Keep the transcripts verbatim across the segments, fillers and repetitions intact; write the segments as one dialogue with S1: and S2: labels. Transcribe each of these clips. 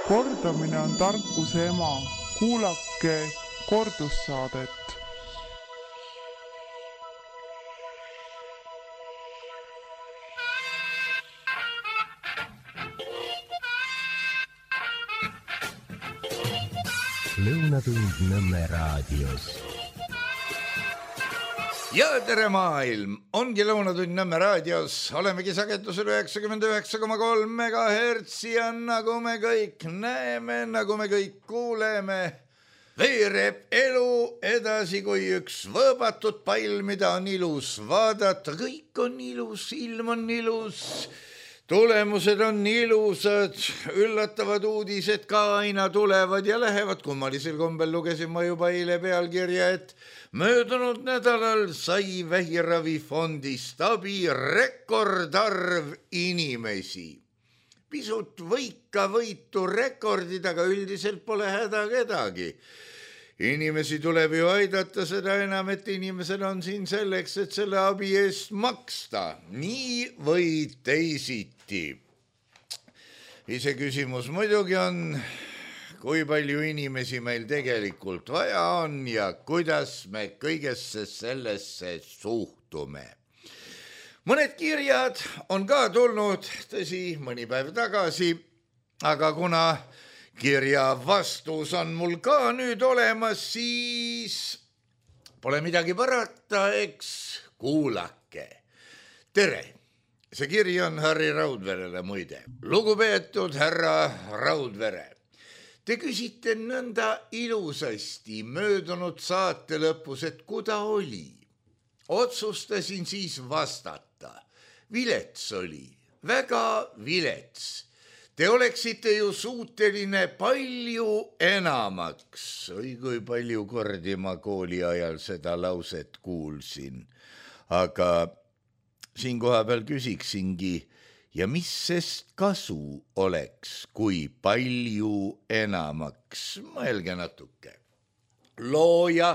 S1: Kordamine on tarkuse ema. Kuulake kordussaadet.
S2: Lõunatund Nõmme raadios.
S3: Ja tere maailm, ongi Lõunatund Nõmme raadios, olemegi sagedusel üheksakümmend üheksa koma kolm megahertsi ja nagu me kõik näeme, nagu me kõik kuuleme, veereb elu edasi kui üks võõbatud pall, mida on ilus vaadata, kõik on ilus, ilm on ilus, tulemused on ilusad, üllatavad uudised ka aina tulevad ja lähevad. Kummalisel kombel lugesin ma juba eile pealkirja, et möödunud nädalal sai vähiravifondist abi rekordarv inimesi. Pisut võika võitu rekordid, aga üldiselt pole häda kedagi. Inimesi tuleb ju aidata, seda enam, et inimesel on siin selleks, et selle abi eest maksta. Nii või teisiti. Ise küsimus muidugi on, kui palju inimesi meil tegelikult vaja on ja kuidas me kõigesse sellesse suhtume. Mõned kirjad on ka tulnud, tõsi, mõni päev tagasi, aga kuna kirja vastus on mul ka nüüd olemas, siis pole midagi parata, eks kuulake. Tere, see kiri on Harri Raudverele muide. Lugupeetud härra Raudvere, te küsite nõnda ilusasti möödunud saate lõpus, et kuda oli. Otsustasin siis vastata. Vilets oli, väga vilets. Te oleksite ju suuteline palju enamaks. Oi, kui palju kordi ma kooli ajal seda lauset kuulsin. Aga siin koha peal küsiksingi, ja mis sest kasu oleks, kui palju enamaks? Mõelge natuke. Looja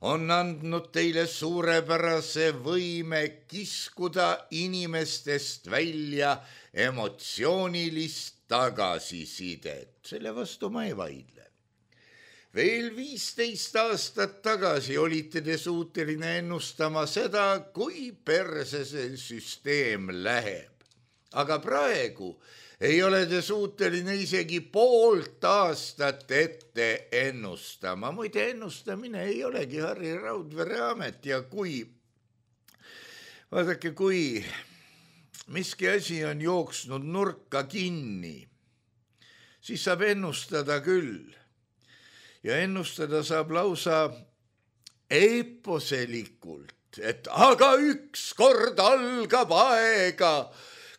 S3: on andnud teile suurepärase võime kiskuda inimestest välja emotsioonilist tagasisidet. Selle vastu ma ei vaidle. Veel viisteist aastat tagasi olite te suuteline ennustama seda, kui perse see süsteem läheb. Aga praegu ei ole te suuteline isegi poolt aastat ette ennustama. Muide, ennustamine ei olegi Harri Raudvere amet ja kui, vaadake, kui miski asi on jooksnud nurka kinni, siis saab ennustada küll. Ja ennustada saab lausa eposelikult, et aga ükskord algab aega,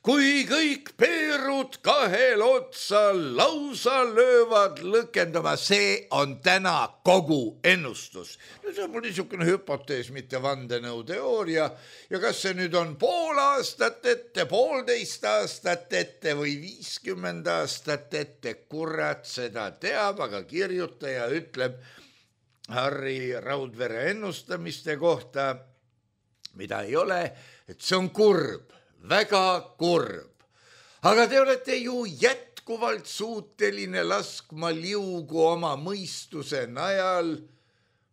S3: kui kõik peerud kahel otsa lausa löövad lõkendama. See on täna kogu ennustus. See on mul niisugune hüpotees, mitte vandenõuteooria. Ja kas see nüüd on pool aastat ette, poolteist aastat ette või viiskümmend aastat ette, kurat seda teab, aga kirjutaja ütleb Harri Raudvere ennustamiste kohta, mida ei ole, et see on kurb. Väga kurb. Aga te olete ju jätkuvalt suuteline laskma liugu oma mõistuse najal,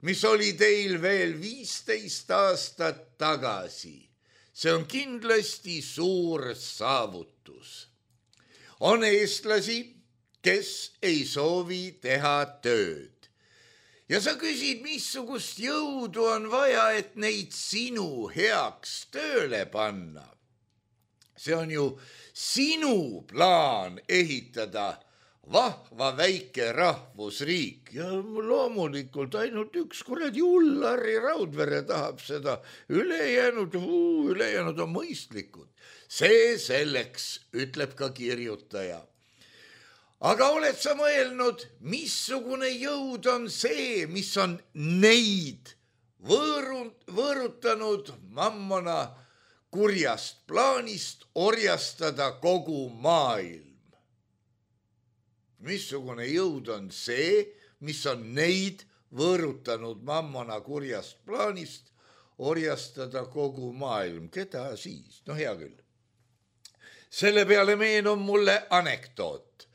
S3: mis oli teil veel viisteist aastat tagasi. See on kindlasti suur saavutus. On eestlasi, kes ei soovi teha tööd. Ja sa küsid, missugust jõudu on vaja, et neid sinu heaks tööle panna. See on ju sinu plaan ehitada vahva väike rahvusriik ja loomulikult ainult üks kuradi hull Harri Raudvere tahab seda. Ülejäänud, uu, ülejäänud on mõistlikud. See selleks, ütleb ka kirjutaja. Aga oled sa mõelnud, missugune jõud on see, mis on neid võõrund, võõrutanud mammona kurjast plaanist orjastada kogu maailm. Missugune jõud on see, mis on neid võõrutanud mammona kurjast plaanist orjastada kogu maailm. Keda siis? No hea küll. Selle peale meenub mulle anekdoot.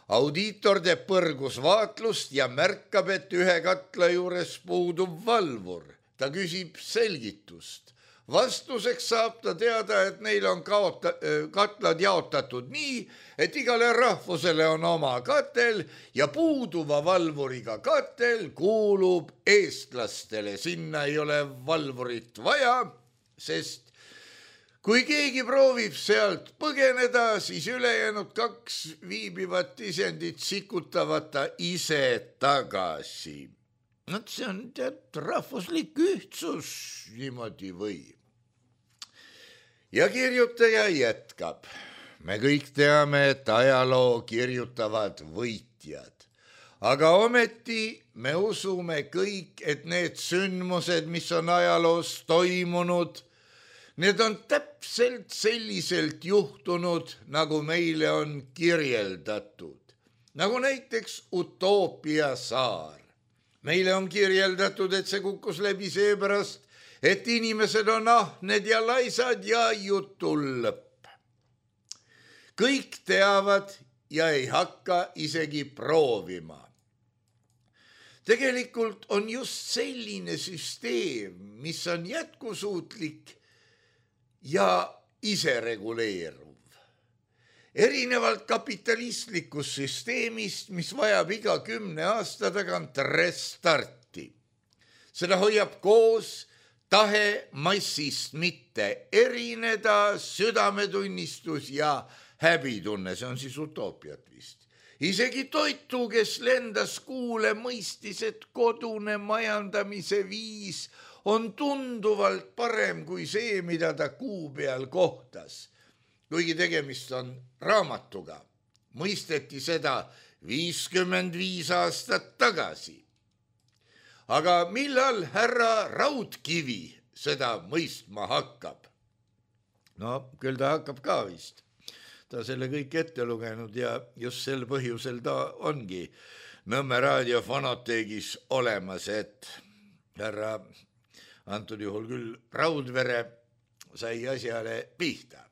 S3: audiitor teeb põrgusvaatlust ja märkab, et ühe katla juures puudub valvur. Ta küsib selgitust. Vastuseks saab ta teada, et neil on kaota, katlad jaotatud nii, et igale rahvusele on oma katel ja puuduva valvuriga katel kuulub eestlastele. Sinna ei ole valvurit vaja, sest kui keegi proovib sealt põgeneda, siis ülejäänud kaks viibivat isendit sikutavad ta ise tagasi. No, see on tead rahvuslik ühtsus, niimoodi võib. Ja kirjutaja jätkab. Me kõik teame, et ajaloo kirjutavad võitjad. Aga ometi me usume kõik, et need sündmused, mis on ajaloos toimunud, need on täpselt selliselt juhtunud, nagu meile on kirjeldatud. Nagu näiteks Utoopia saar. Meile on kirjeldatud, et see kukkus läbi seepärast, et inimesed on ahned ja laisad ja jutul lõpp. Kõik teavad ja ei hakka isegi proovima. Tegelikult on just selline süsteem, mis on jätkusuutlik ja isereguleeruv. Erinevalt kapitalistlikust süsteemist, mis vajab iga kümne aasta tagant restarti. Seda hoiab koos tahe massist mitte erineda, südametunnistus ja häbitunne, see on siis utoopiat vist. Isegi toitu, kes lendas kuule, mõistis, et kodune majandamise viis on tunduvalt parem kui see, mida ta kuu peal kohtas. Kuigi tegemist on raamatuga, mõisteti seda viiskümmend viis aastat tagasi. Aga millal härra Raudkivi seda mõistma hakkab? No, küll ta hakkab ka vist. Ta selle kõik ette lugenud ja just sel põhjusel ta ongi Nõmme raadio fonoteegis olemas, et härra, antud juhul küll Raudvere, sai asjale pihta.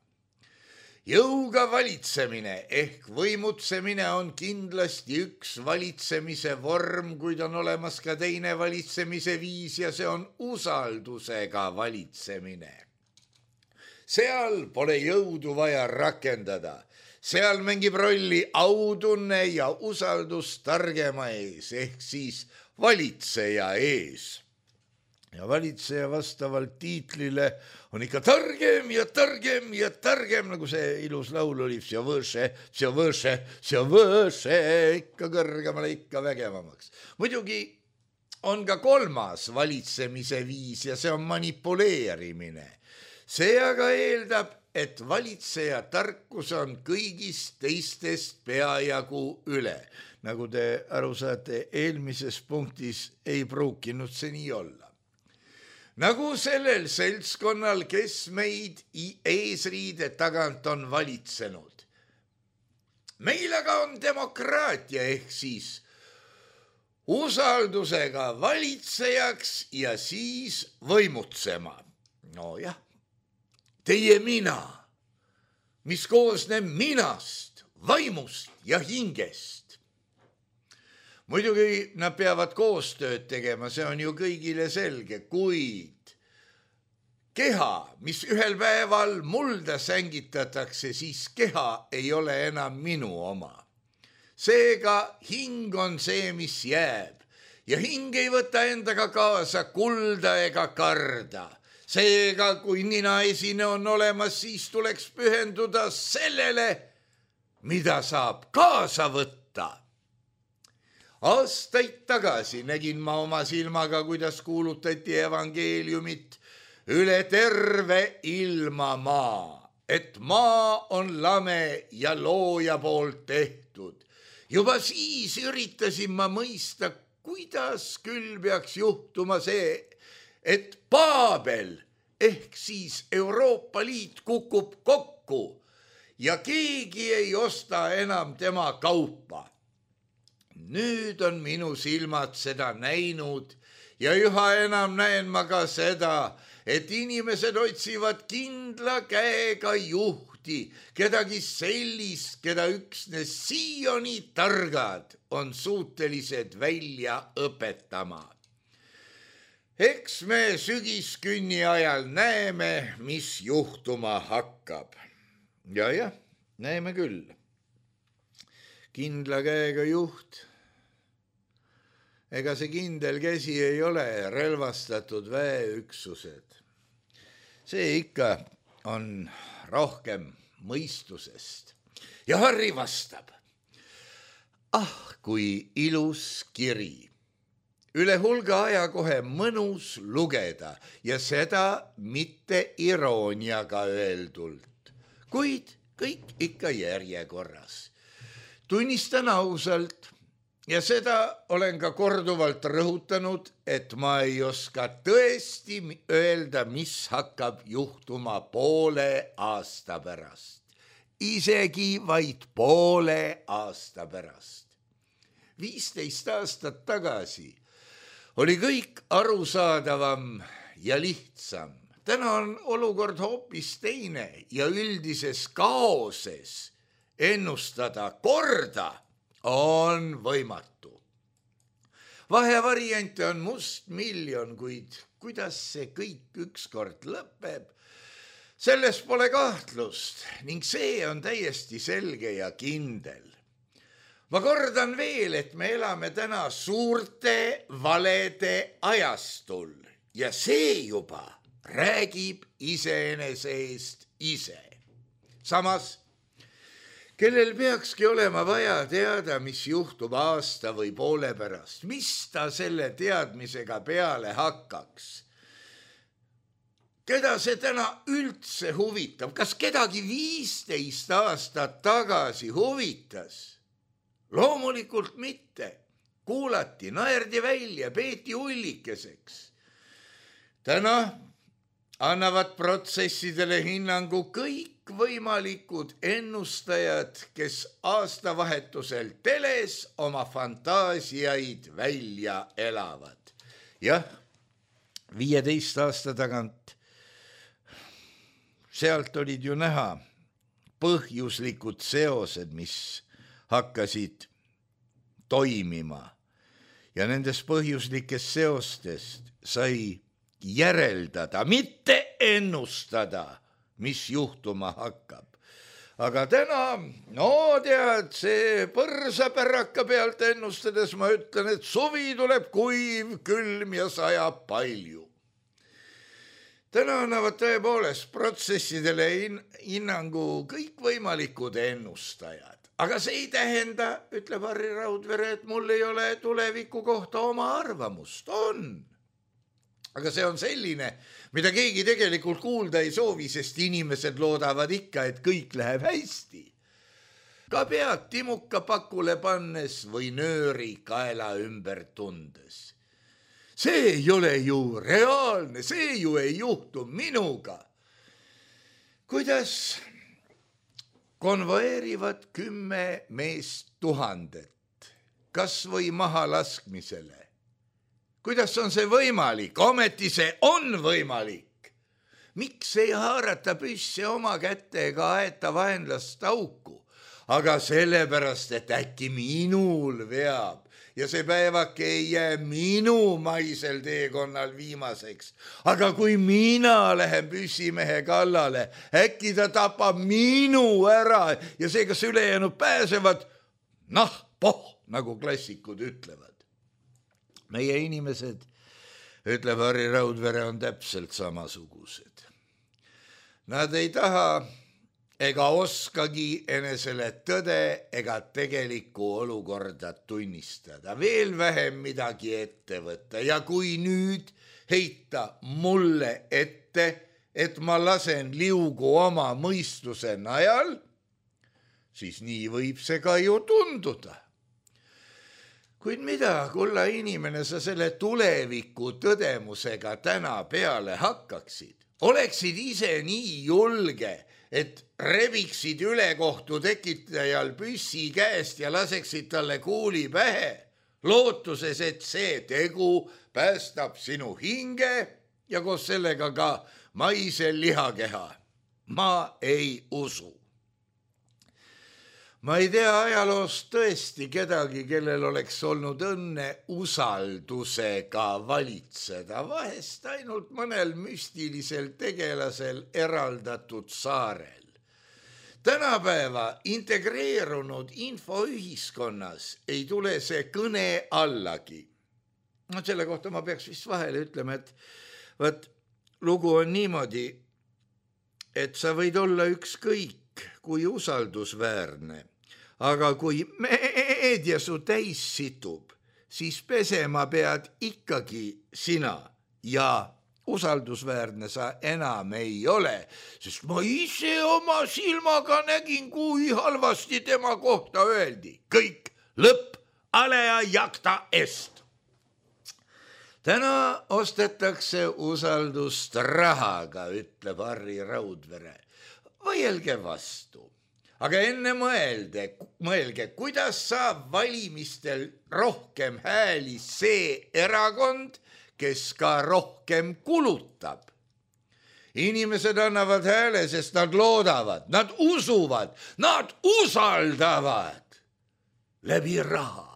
S3: Jõuga valitsemine ehk võimutsemine on kindlasti üks valitsemise vorm, kuid on olemas ka teine valitsemise viis ja see on usaldusega valitsemine. Seal pole jõudu vaja rakendada. Seal mängib rolli autunne ja usaldus targema ees ehk siis valitseja ees. Ja valitseja vastavalt tiitlile on ikka targem ja targem ja targem, nagu see ilus laul oli, see võõse, see võõse, see võõse, ikka kõrgemale, ikka vägevamaks. Muidugi on ka kolmas valitsemise viis ja see on manipuleerimine. See aga eeldab, et valitseja tarkus on kõigist teistest peajagu üle. Nagu te aru saate, eelmises punktis ei pruukinud see nii olla. Nagu sellel seltskonnal, kes meid eesriide tagant on valitsenud. Meil aga on demokraatia ehk siis usaldusega valitsejaks ja siis võimutsema. No jah, teie mina, mis koosneb minast, vaimust ja hingest. Muidugi nad peavad koostööd tegema, see on ju kõigile selge, kuid keha, mis ühel päeval mulda sängitatakse, siis keha ei ole enam minu oma. Seega hing on see, mis jääb ja hing ei võta endaga kaasa kulda ega karda. Seega, kui ninaesine on olemas, siis tuleks pühenduda sellele, mida saab kaasa võtta. Aastaid tagasi nägin ma oma silmaga, kuidas kuulutati evangeeliumit üle terve ilma maa, et maa on lame ja looja poolt tehtud. Juba siis üritasin ma mõista, kuidas küll peaks juhtuma see, et Paabel ehk siis Euroopa Liit kukub kokku ja keegi ei osta enam tema kaupa. Nüüd on minu silmad seda näinud ja üha enam näen ma ka seda, et inimesed otsivad kindla käega juhti juhti, kedagi sellist, keda üksnes siiani targad on suutelised välja õpetama. Eks me sügiskünni ajal näeme, mis juhtuma hakkab. Ja jah, näeme küll. Kindla käega juht. Ega see kindel käsi ei ole relvastatud väeüksused. See ikka on rohkem mõistusest. Ja Harri vastab. Ah, kui ilus kiri. Üle hulga aja kohe mõnus lugeda ja seda mitte irooniaga öeldult, kuid kõik ikka järjekorras. Tunnistan ausalt ja seda olen ka korduvalt rõhutanud, et ma ei oska tõesti öelda, mis hakkab juhtuma poole aasta pärast. Isegi vaid poole aasta pärast. viisteist aastat tagasi oli kõik arusaadavam ja lihtsam. Täna on olukord hoopis teine ja üldises kaoses ennustada korda on võimatu. Vahevariante on must miljon, kuid kuidas see kõik ükskord lõpeb, selles pole kahtlust ning see on täiesti selge ja kindel. Ma kordan veel, et me elame täna suurte valede ajastul ja see juba räägib iseenese eest ise. Samas, kellel peakski olema vaja teada, mis juhtub aasta või poole pärast, mis ta selle teadmisega peale hakkaks? Keda see täna üldse huvitab? Kas kedagi viisteist aastat tagasi huvitas? Loomulikult mitte. Kuulati, naerdi välja, peeti ullikeseks. Täna annavad protsessidele hinnangu kõik võimalikud ennustajad, kes aastavahetusel teles oma fantaasiaid välja elavad. Jah, viieteist aasta tagant sealt olid ju näha põhjuslikud seosed, mis hakkasid toimima ja nendest põhjuslikest seostest sai järeldada, mitte ennustada, mis juhtuma hakkab. Aga täna, no tead, see põrsapäraka pealt ennustades ma ütlen, et suvi tuleb kuiv, külm ja sajab palju. Täna annavad tõepoolest protsessidele hinnangu kõik võimalikud ennustajad. Aga see ei tähenda, ütleb Harri Raudvere, et mul ei ole tuleviku kohta oma arvamust. On. Aga see on selline, mida keegi tegelikult kuulda ei soovi, sest inimesed loodavad ikka, et kõik läheb hästi. Ka pead timuka pakule pannes või nööri kaela ümber tundes. See ei ole ju reaalne, see ju ei juhtu minuga. Kuidas konvoeerivad kümme meest tuhandet, kas või maha laskmisele? Kuidas on see võimalik? Ometi see on võimalik. Miks ei haarata püsse oma kättega aeta vaenlast auku? Aga sellepärast, et äkki minul veab ja see päevake ei jää minu maisel teekonnal viimaseks. Aga kui mina lähen püssimehe kallale, äkki ta tapab minu ära ja see, kas ülejäänud pääsevad, noh, poh, nagu klassikud ütlevad. Meie inimesed, ütleb Harri Raudvere, on täpselt samasugused. Nad ei taha ega oskagi enesele tõde ega tegelikku olukorda tunnistada, veel vähem midagi ette võtta. Ja kui nüüd heita mulle ette, et ma lasen liugu oma mõistuse najal, siis nii võib see ka ju tunduda. Kuid mida, kulla inimene, sa selle tuleviku tõdemusega täna peale hakkaksid? Oleksid ise nii julge, et rebiksid ülekohtu tekitajal püssi käest ja laseksid talle kuuli pähe, lootuses, et see tegu päästab sinu hinge ja koos sellega ka maisel lihakeha. ma ei usu. Ma ei tea ajaloost tõesti kedagi, kellel oleks olnud õnne usaldusega valitseda, vahest ainult mõnel müstilisel tegelasel eraldatud saarel. Tänapäeva integreerunud infoühiskonnas ei tule see kõne allagi. No selle kohta ma peaks vist vahele ütlema, et võt, lugu on niimoodi, et sa võid olla ükskõik kui usaldusväärne, aga kui meedia su täis situb, siis pesema pead ikkagi sina ja usaldusväärne sa enam ei ole, sest ma ise oma silmaga nägin, kui halvasti tema kohta öeldi. Kõik lõpp, alea jakta est. Täna ostetakse usaldust rahaga, ütleb Harri Raudvere. Võielge vastu. Aga enne mõelde, mõelge, kuidas saab valimistel rohkem hääli see erakond, kes ka rohkem kulutab. Inimesed annavad hääle, sest nad loodavad, nad usuvad, nad usaldavad. Läbi raha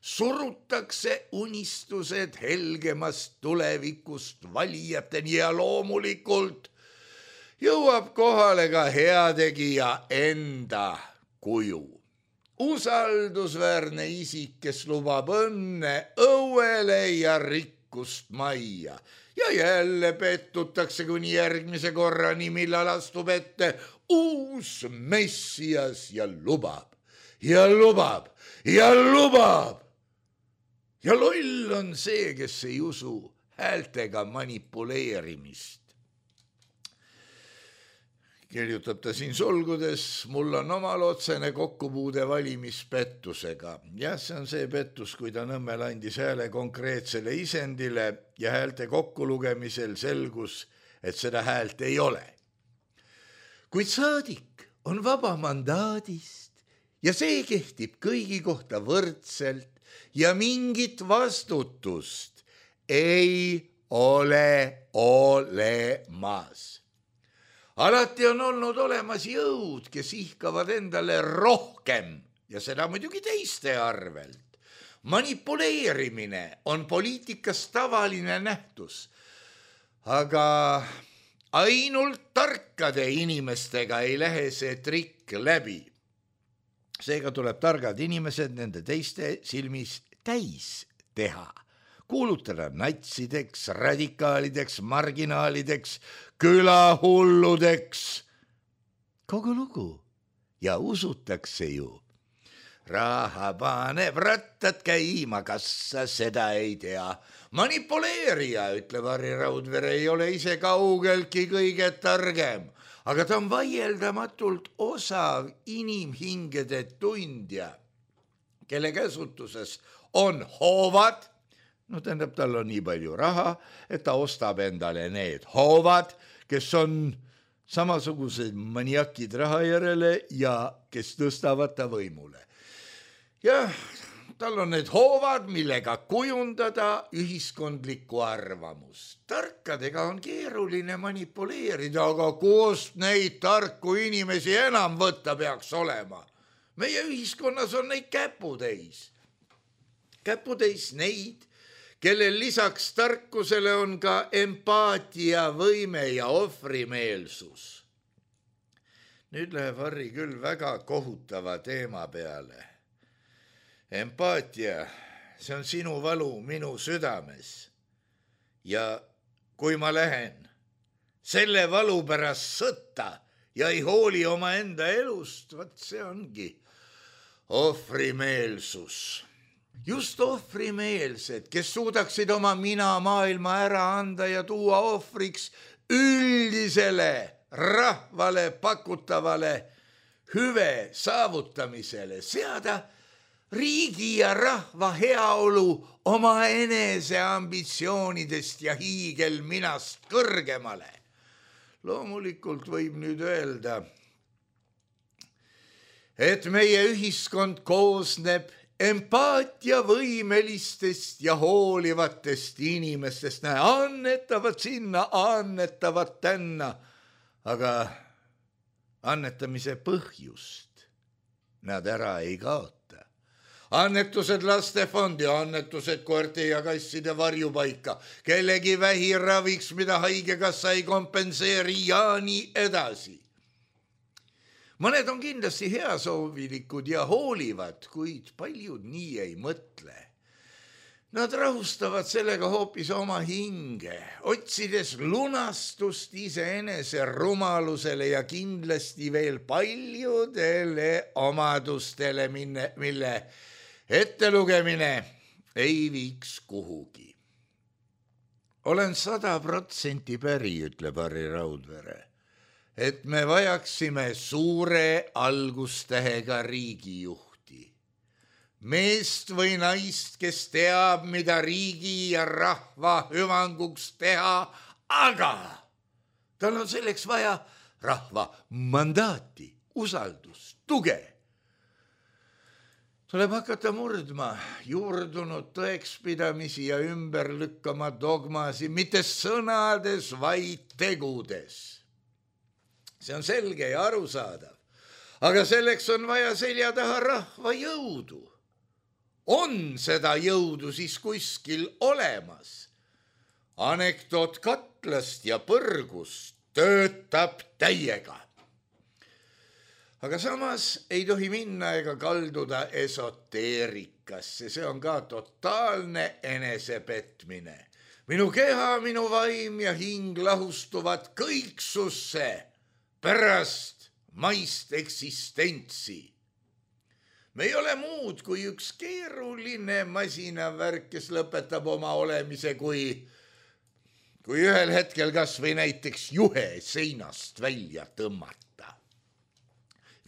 S3: surutakse unistused helgemast tulevikust valijateni ja loomulikult jõuab kohale ka heategija enda kuju. Usaldusväärne isik, kes lubab õnne õuele ja rikkust majja. Ja jälle pettutakse kuni järgmise korrani, millal astub ette uus messias ja lubab, ja lubab, ja lubab. Ja loll on see, kes ei usu häältega manipuleerimist. Kirjutab ta siin solgudes, mul on omal otsene kokkupuude valimispettusega. Jah, see on see pettus, kui ta Nõmmel andis hääle konkreetsele isendile ja häälte kokkulugemisel selgus, et seda häält ei ole. Kuid saadik on vaba mandaadist ja see kehtib kõigi kohta võrdselt ja mingit vastutust ei ole olemas. Alati on olnud olemas jõud, kes ihkavad endale rohkem ja seda muidugi teiste arvelt. Manipuleerimine on poliitikas tavaline nähtus, aga ainult tarkade inimestega ei lähe see trikk läbi. Seega tuleb targad inimesed nende teiste silmis täis teha. Kuulutada natsideks, radikaalideks, marginaalideks, külahulludeks. Kogu lugu ja usutakse ju. Raha paneb rattad käima, kas sa seda ei tea. Manipuleerija, ütleb Harri Raudvere, ei ole ise kaugeltki kõige targem, aga ta on vaieldamatult osav inimhingede tundja, kelle käsutuses on hoovad. No tähendab, tal on nii palju raha, et ta ostab endale need hoovad, kes on samasugused maniakid raha järele ja kes tõstavad ta võimule. Ja tal on need hoovad, millega kujundada ühiskondlikku arvamust. Tarkadega on keeruline manipuleerida, aga kust neid tarku inimesi enam võtta peaks olema? Meie ühiskonnas on neid käputäis. Käputäis neid, kellel lisaks tarkusele on ka empaatia, võime ja ohvrimeelsus. Nüüd läheb Harri küll väga kohutava teema peale. Empaatia, see on sinu valu minu südames. Ja kui ma lähen selle valu pärast sõtta ja ei hooli oma enda elust, võt see ongi ohvrimeelsus. Just ohvrimeelsed, kes suudaksid oma mina maailma ära anda ja tuua ohvriks üldisele rahvale pakutavale hüve saavutamisele, seada riigi ja rahva heaolu oma enese ambitsioonidest ja hiigelminast kõrgemale. Loomulikult võib nüüd öelda, et meie ühiskond koosneb empaatiavõimelistest ja hoolivatest inimestest, näe, annetavad sinna, annetavad tänna, aga annetamise põhjust nad ära ei kaota. Annetused lastefondi, annetused koerte ja kasside varjupaika, kellegi vähiraviks, mida haigekassa ei kompenseeri ja nii edasi. Mõned on kindlasti heasoovilikud ja hoolivad, kuid paljud nii ei mõtle. Nad rahustavad sellega hoopis oma hinge, otsides lunastust iseenese rumalusele ja kindlasti veel paljudele omadustele, mille ettelugemine ei viiks kuhugi. Olen sada protsenti päri, ütleb Harri Raudvere, et me vajaksime suure algustähega riigijuhti. Meest või naist, kes teab, mida riigi ja rahva hüvanguks teha, aga tal on selleks vaja rahva mandaati, usaldust, tuge. Tuleb hakata murdma juurdunud tõekspidamisi ja ümber lükkama dogmasi, mitte sõnades, vaid tegudes. See on selge ja arusaadav, aga selleks on vaja selja taha rahva jõudu. On seda jõudu siis kuskil olemas. Anekdoot katlast ja põrgust töötab täiega. Aga samas ei tohi minna ega kalduda esoteerikasse, see on ka totaalne enesepetmine. Minu keha, minu vaim ja hing lahustuvad kõiksusse pärast maist eksistentsi. Me ei ole muud kui üks keeruline masinavärk, kes lõpetab oma olemise, kui, kui ühel hetkel kas või näiteks juhe seinast välja tõmmata.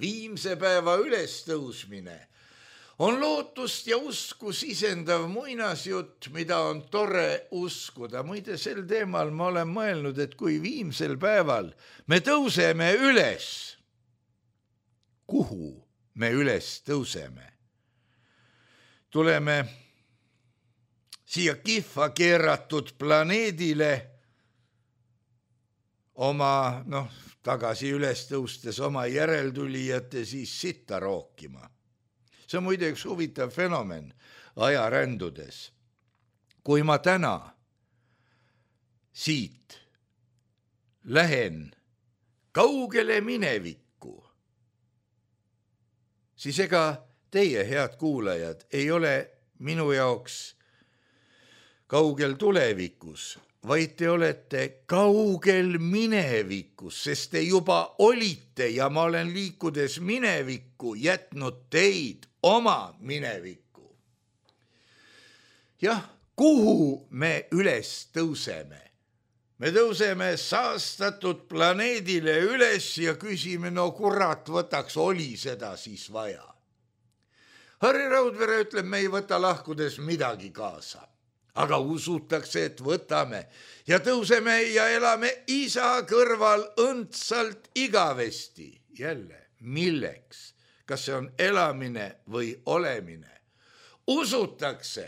S3: Viimse päeva ülestõusmine on lootust ja usku sisendav muinasjutt, mida on tore uskuda. Muide, sel teemal ma olen mõelnud, et kui viimsel päeval me tõuseme üles, kuhu me üles tõuseme? Tuleme siia kihva keeratud planeedile oma, noh, tagasi üles tõustes oma järeltulijate siis sitta rookima. See on muide üks huvitav fenomen ajarändudes. Kui ma täna siit lähen kaugele minevikku, siis ega teie, head kuulajad, ei ole minu jaoks kaugel tulevikus, vaid te olete kaugel minevikus, sest te juba olite ja ma olen liikudes minevikku jätnud teid oma minevikku. Jah, kuhu me üles tõuseme? Me tõuseme saastatud planeedile üles ja küsime, no kurat, võtaks, oli seda siis vaja. Harri Raudvere ütleb, me ei võta lahkudes midagi kaasa, aga usutakse, et võtame ja tõuseme ja elame isa kõrval õndsalt igavesti. Jälle, milleks? Kas see on elamine või olemine? Usutakse,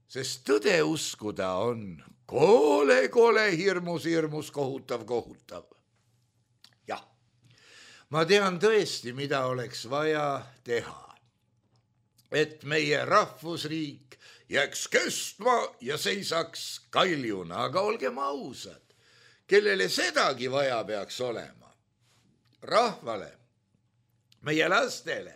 S3: sest tõde uskuda on Kole, kole, hirmus, hirmus, kohutav, kohutav. Jah, ma tean tõesti, mida oleks vaja teha, et meie rahvusriik jääks kestma ja seisaks kaljuna, aga olgem ausad, kellele sedagi vaja peaks olema. Rahvale, meie lastele.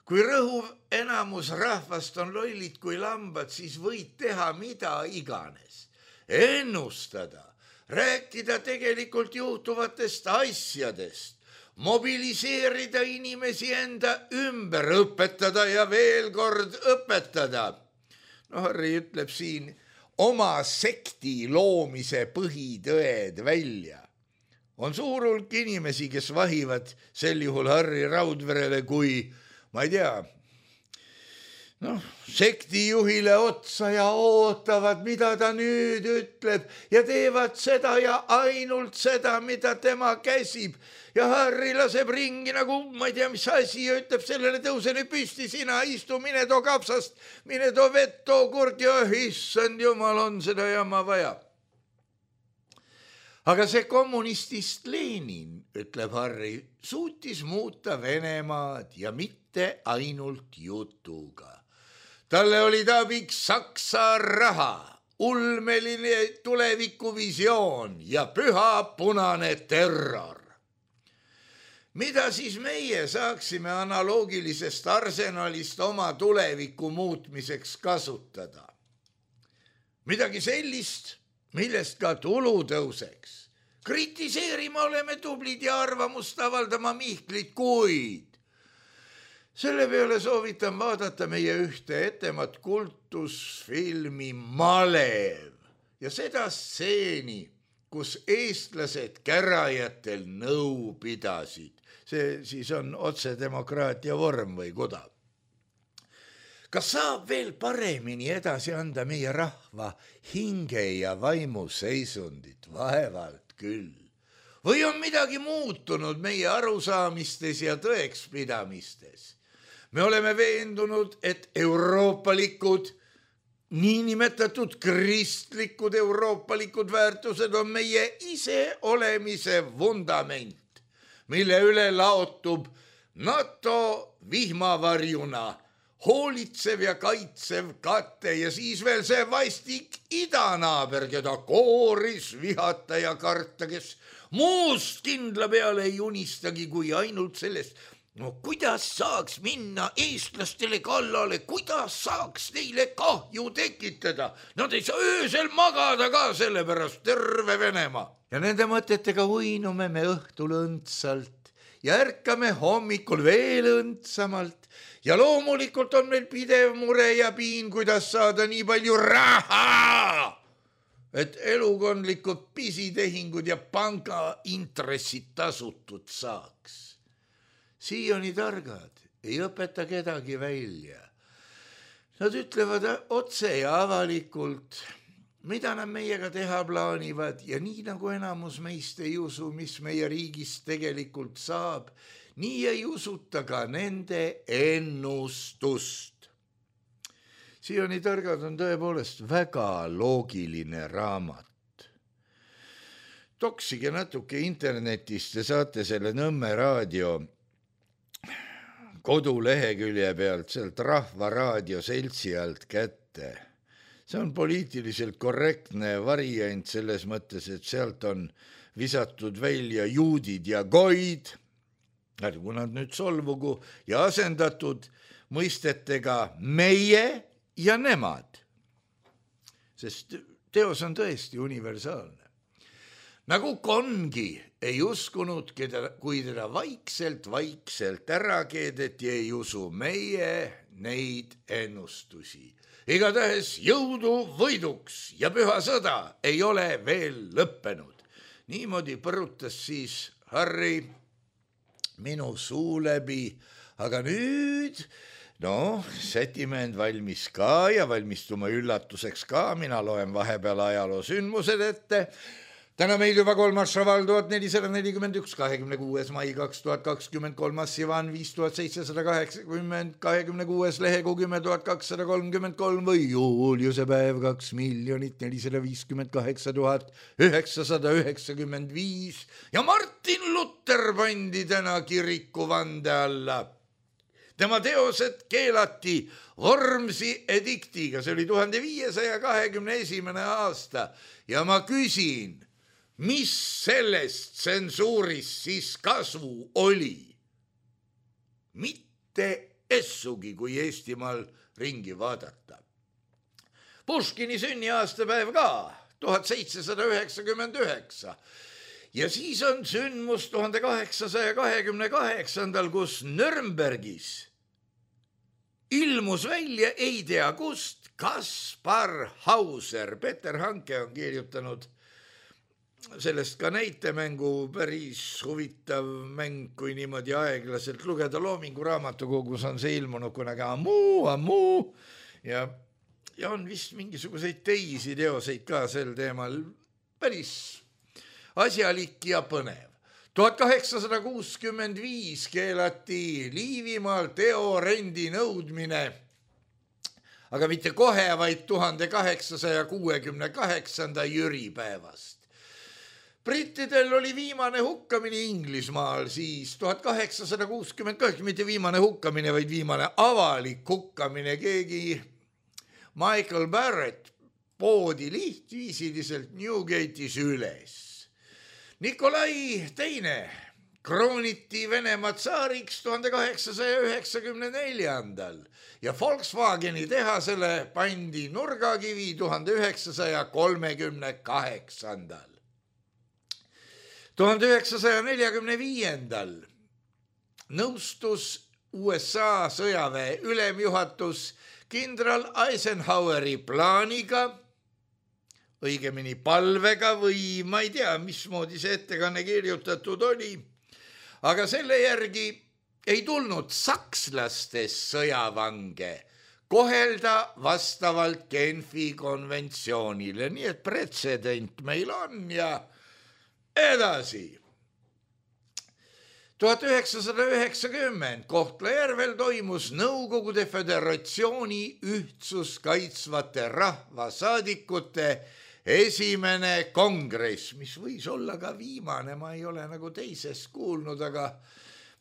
S3: Kui rõhuv enamus rahvast on lollid kui lambad, siis võid teha mida iganes. Ennustada, rääkida tegelikult juhtuvatest asjadest, mobiliseerida inimesi enda ümber, õpetada ja veel kord õpetada. No Harri ütleb siin oma sekti loomise põhitõed välja. On suur hulk inimesi, kes vahivad sel juhul Harri Raudverele kui, ma ei tea, noh, sektijuhile otsa ja ootavad, mida ta nüüd ütleb ja teevad seda ja ainult seda, mida tema käsib. Ja Harri laseb ringi nagu, ma ei tea, mis asi ja ütleb sellele, tõuse nüüd püsti, sina istu, mine too kapsast, mine too vett, too kurk ja issand jumal, on seda jama vaja. aga see kommunistist Lenin, ütleb Harri, suutis muuta Venemaad ja mitte ainult jutuga. Talle oli abiks Saksa raha, ulmeline tulevikuvisioon ja püha punane terror. Mida siis meie saaksime analoogilisest arsenalist oma tuleviku muutmiseks kasutada? Midagi sellist, millest ka tulu tõuseks. Kritiseerima oleme tublid ja arvamust avaldama Mihklit, kuid selle peale soovitan vaadata meie ühte etemat kultusfilmi Malev ja seda stseeni, kus eestlased kärajatel nõu pidasid. See siis on otsedemokraatia vorm või kuda. Kas saab veel paremini edasi anda meie rahva hinge ja vaimu seisundit? Vaevalt küll. Või on midagi muutunud meie arusaamistes ja tõekspidamistes? Me oleme veendunud, et euroopalikud, niinimetatud kristlikud euroopalikud väärtused on meie ise olemise vundament, mille üle laotub NATO vihmavarjuna, hoolitsev ja kaitsev kate ja siis veel see vastik idanaaber, keda kooris vihata ja karta, kes muust kindla peale ei unistagi kui ainult sellest, no kuidas saaks minna eestlastele kallale, kuidas saaks neile kahju tekitada. Nad ei saa öösel magada ka sellepärast terve Venemaa. Ja nende mõtetega uinume me õhtul õndsalt ja ärkame hommikul veel õndsamalt. Ja loomulikult on meil pidev mure ja piin, kuidas saada nii palju raha, et elukondlikud pisitehingud ja panga intressid tasutud saaks. Siiani targad ei õpeta kedagi välja. Nad ütlevad otse ja avalikult, mida nad meiega teha plaanivad ja nii nagu enamus meist ei usu, mis meie riigist tegelikult saab, nii ei usuta ka nende ennustust. Siiani targad on tõepoolest väga loogiline raamat. Toksige natuke internetist ja saate selle Nõmme raadio kodulehekülje pealt sealt Rahva Raadio seltsi alt kätte. See on poliitiliselt korrektne variant selles mõttes, et sealt on visatud välja juudid ja goid, ärgu nad nüüd solvugu, ja asendatud mõistetega meie ja nemad. Sest teos on tõesti universaalne. Nagu Kongi ei uskunud, keda, kui teda vaikselt, vaikselt ära keedeti, ei usu meie neid ennustusi. Igatahes jõudu võiduks ja püha sõda ei ole veel lõppenud. Niimoodi põrutas siis Harri minu suu läbi, aga nüüd, no, sätime end valmis ka ja valmistume üllatuseks ka, mina loen vahepeal ajaloo sündmused ette. Täna meil juba kolmas šaval tuhat nelisada nelikümmend üks, kahekümne kuues mai kaks tuhat kakskümmend kolm, Sivan viis tuhat seitsesada kaheksakümmend, kahekümne kuues lehekuu kümme tuhat kakssada kolmkümmend kolm või Juliuse päev kaks miljonit nelisada viiskümmend kaheksa tuhat üheksasada üheksakümmend viis ja Martin Luther pandi täna kiriku vande alla. Tema teosed keelati Vormsi ediktiga, see oli tuhande viiesaja kahekümne esimene aasta ja ma küsin, mis sellest tsensuurist siis kasu oli? Mitte essugi, kui Eestimaal ringi vaadata. Puškini sünniaastapäev ka, tuhat seitsesada üheksakümmend üheksa. Ja siis on sündmus tuhande kaheksasaja kahekümne kaheksandal, kus Nürnbergis ilmus välja ei tea kust Kaspar Hauser. Peter Hanke on kirjutanud sellest ka näitemängu, päris huvitav mäng, kui niimoodi aeglaselt lugeda. Loomingu raamatukogus on see ilmunud kunagi ammu, ammu ja, ja on vist mingisuguseid teisi teoseid ka sel teemal. Päris asjalik ja põnev. tuhat kaheksasada kuuskümmend viis keelati Liivimaal teorendi nõudmine, aga mitte kohe, vaid tuhande kaheksasaja kuuekümne kaheksanda jüripäevast. brittidel oli viimane hukkamine Inglismaal siis tuhat kaheksasada kuuskümmend kaheksa, mitte viimane hukkamine, vaid viimane avalik hukkamine. Keegi Michael Barrett poodi lihtviisiliselt Newgate'is üles. Nikolai teine krooniti Venemaa tsaariks tuhande kaheksasaja üheksakümne neljandal ja Volkswageni tehasele pandi nurgakivi tuhande üheksasaja kolmekümne kaheksandal. tuhande üheksasaja neljakümne viiendal nõustus U S A sõjaväe ülemjuhatus kindral Eisenhoweri plaaniga, õigemini palvega või ma ei tea, mismoodi see ettekanne kirjutatud oli, aga selle järgi ei tulnud sakslastest sõjavange kohelda vastavalt Genfi konventsioonile, nii et pretsedent meil on ja edasi. tuhat üheksasada üheksakümmend Kohtla-Järvel toimus Nõukogude Föderatsiooni ühtsust kaitsvate rahvasaadikute esimene kongress, mis võis olla ka viimane, ma ei ole nagu teisest kuulnud, aga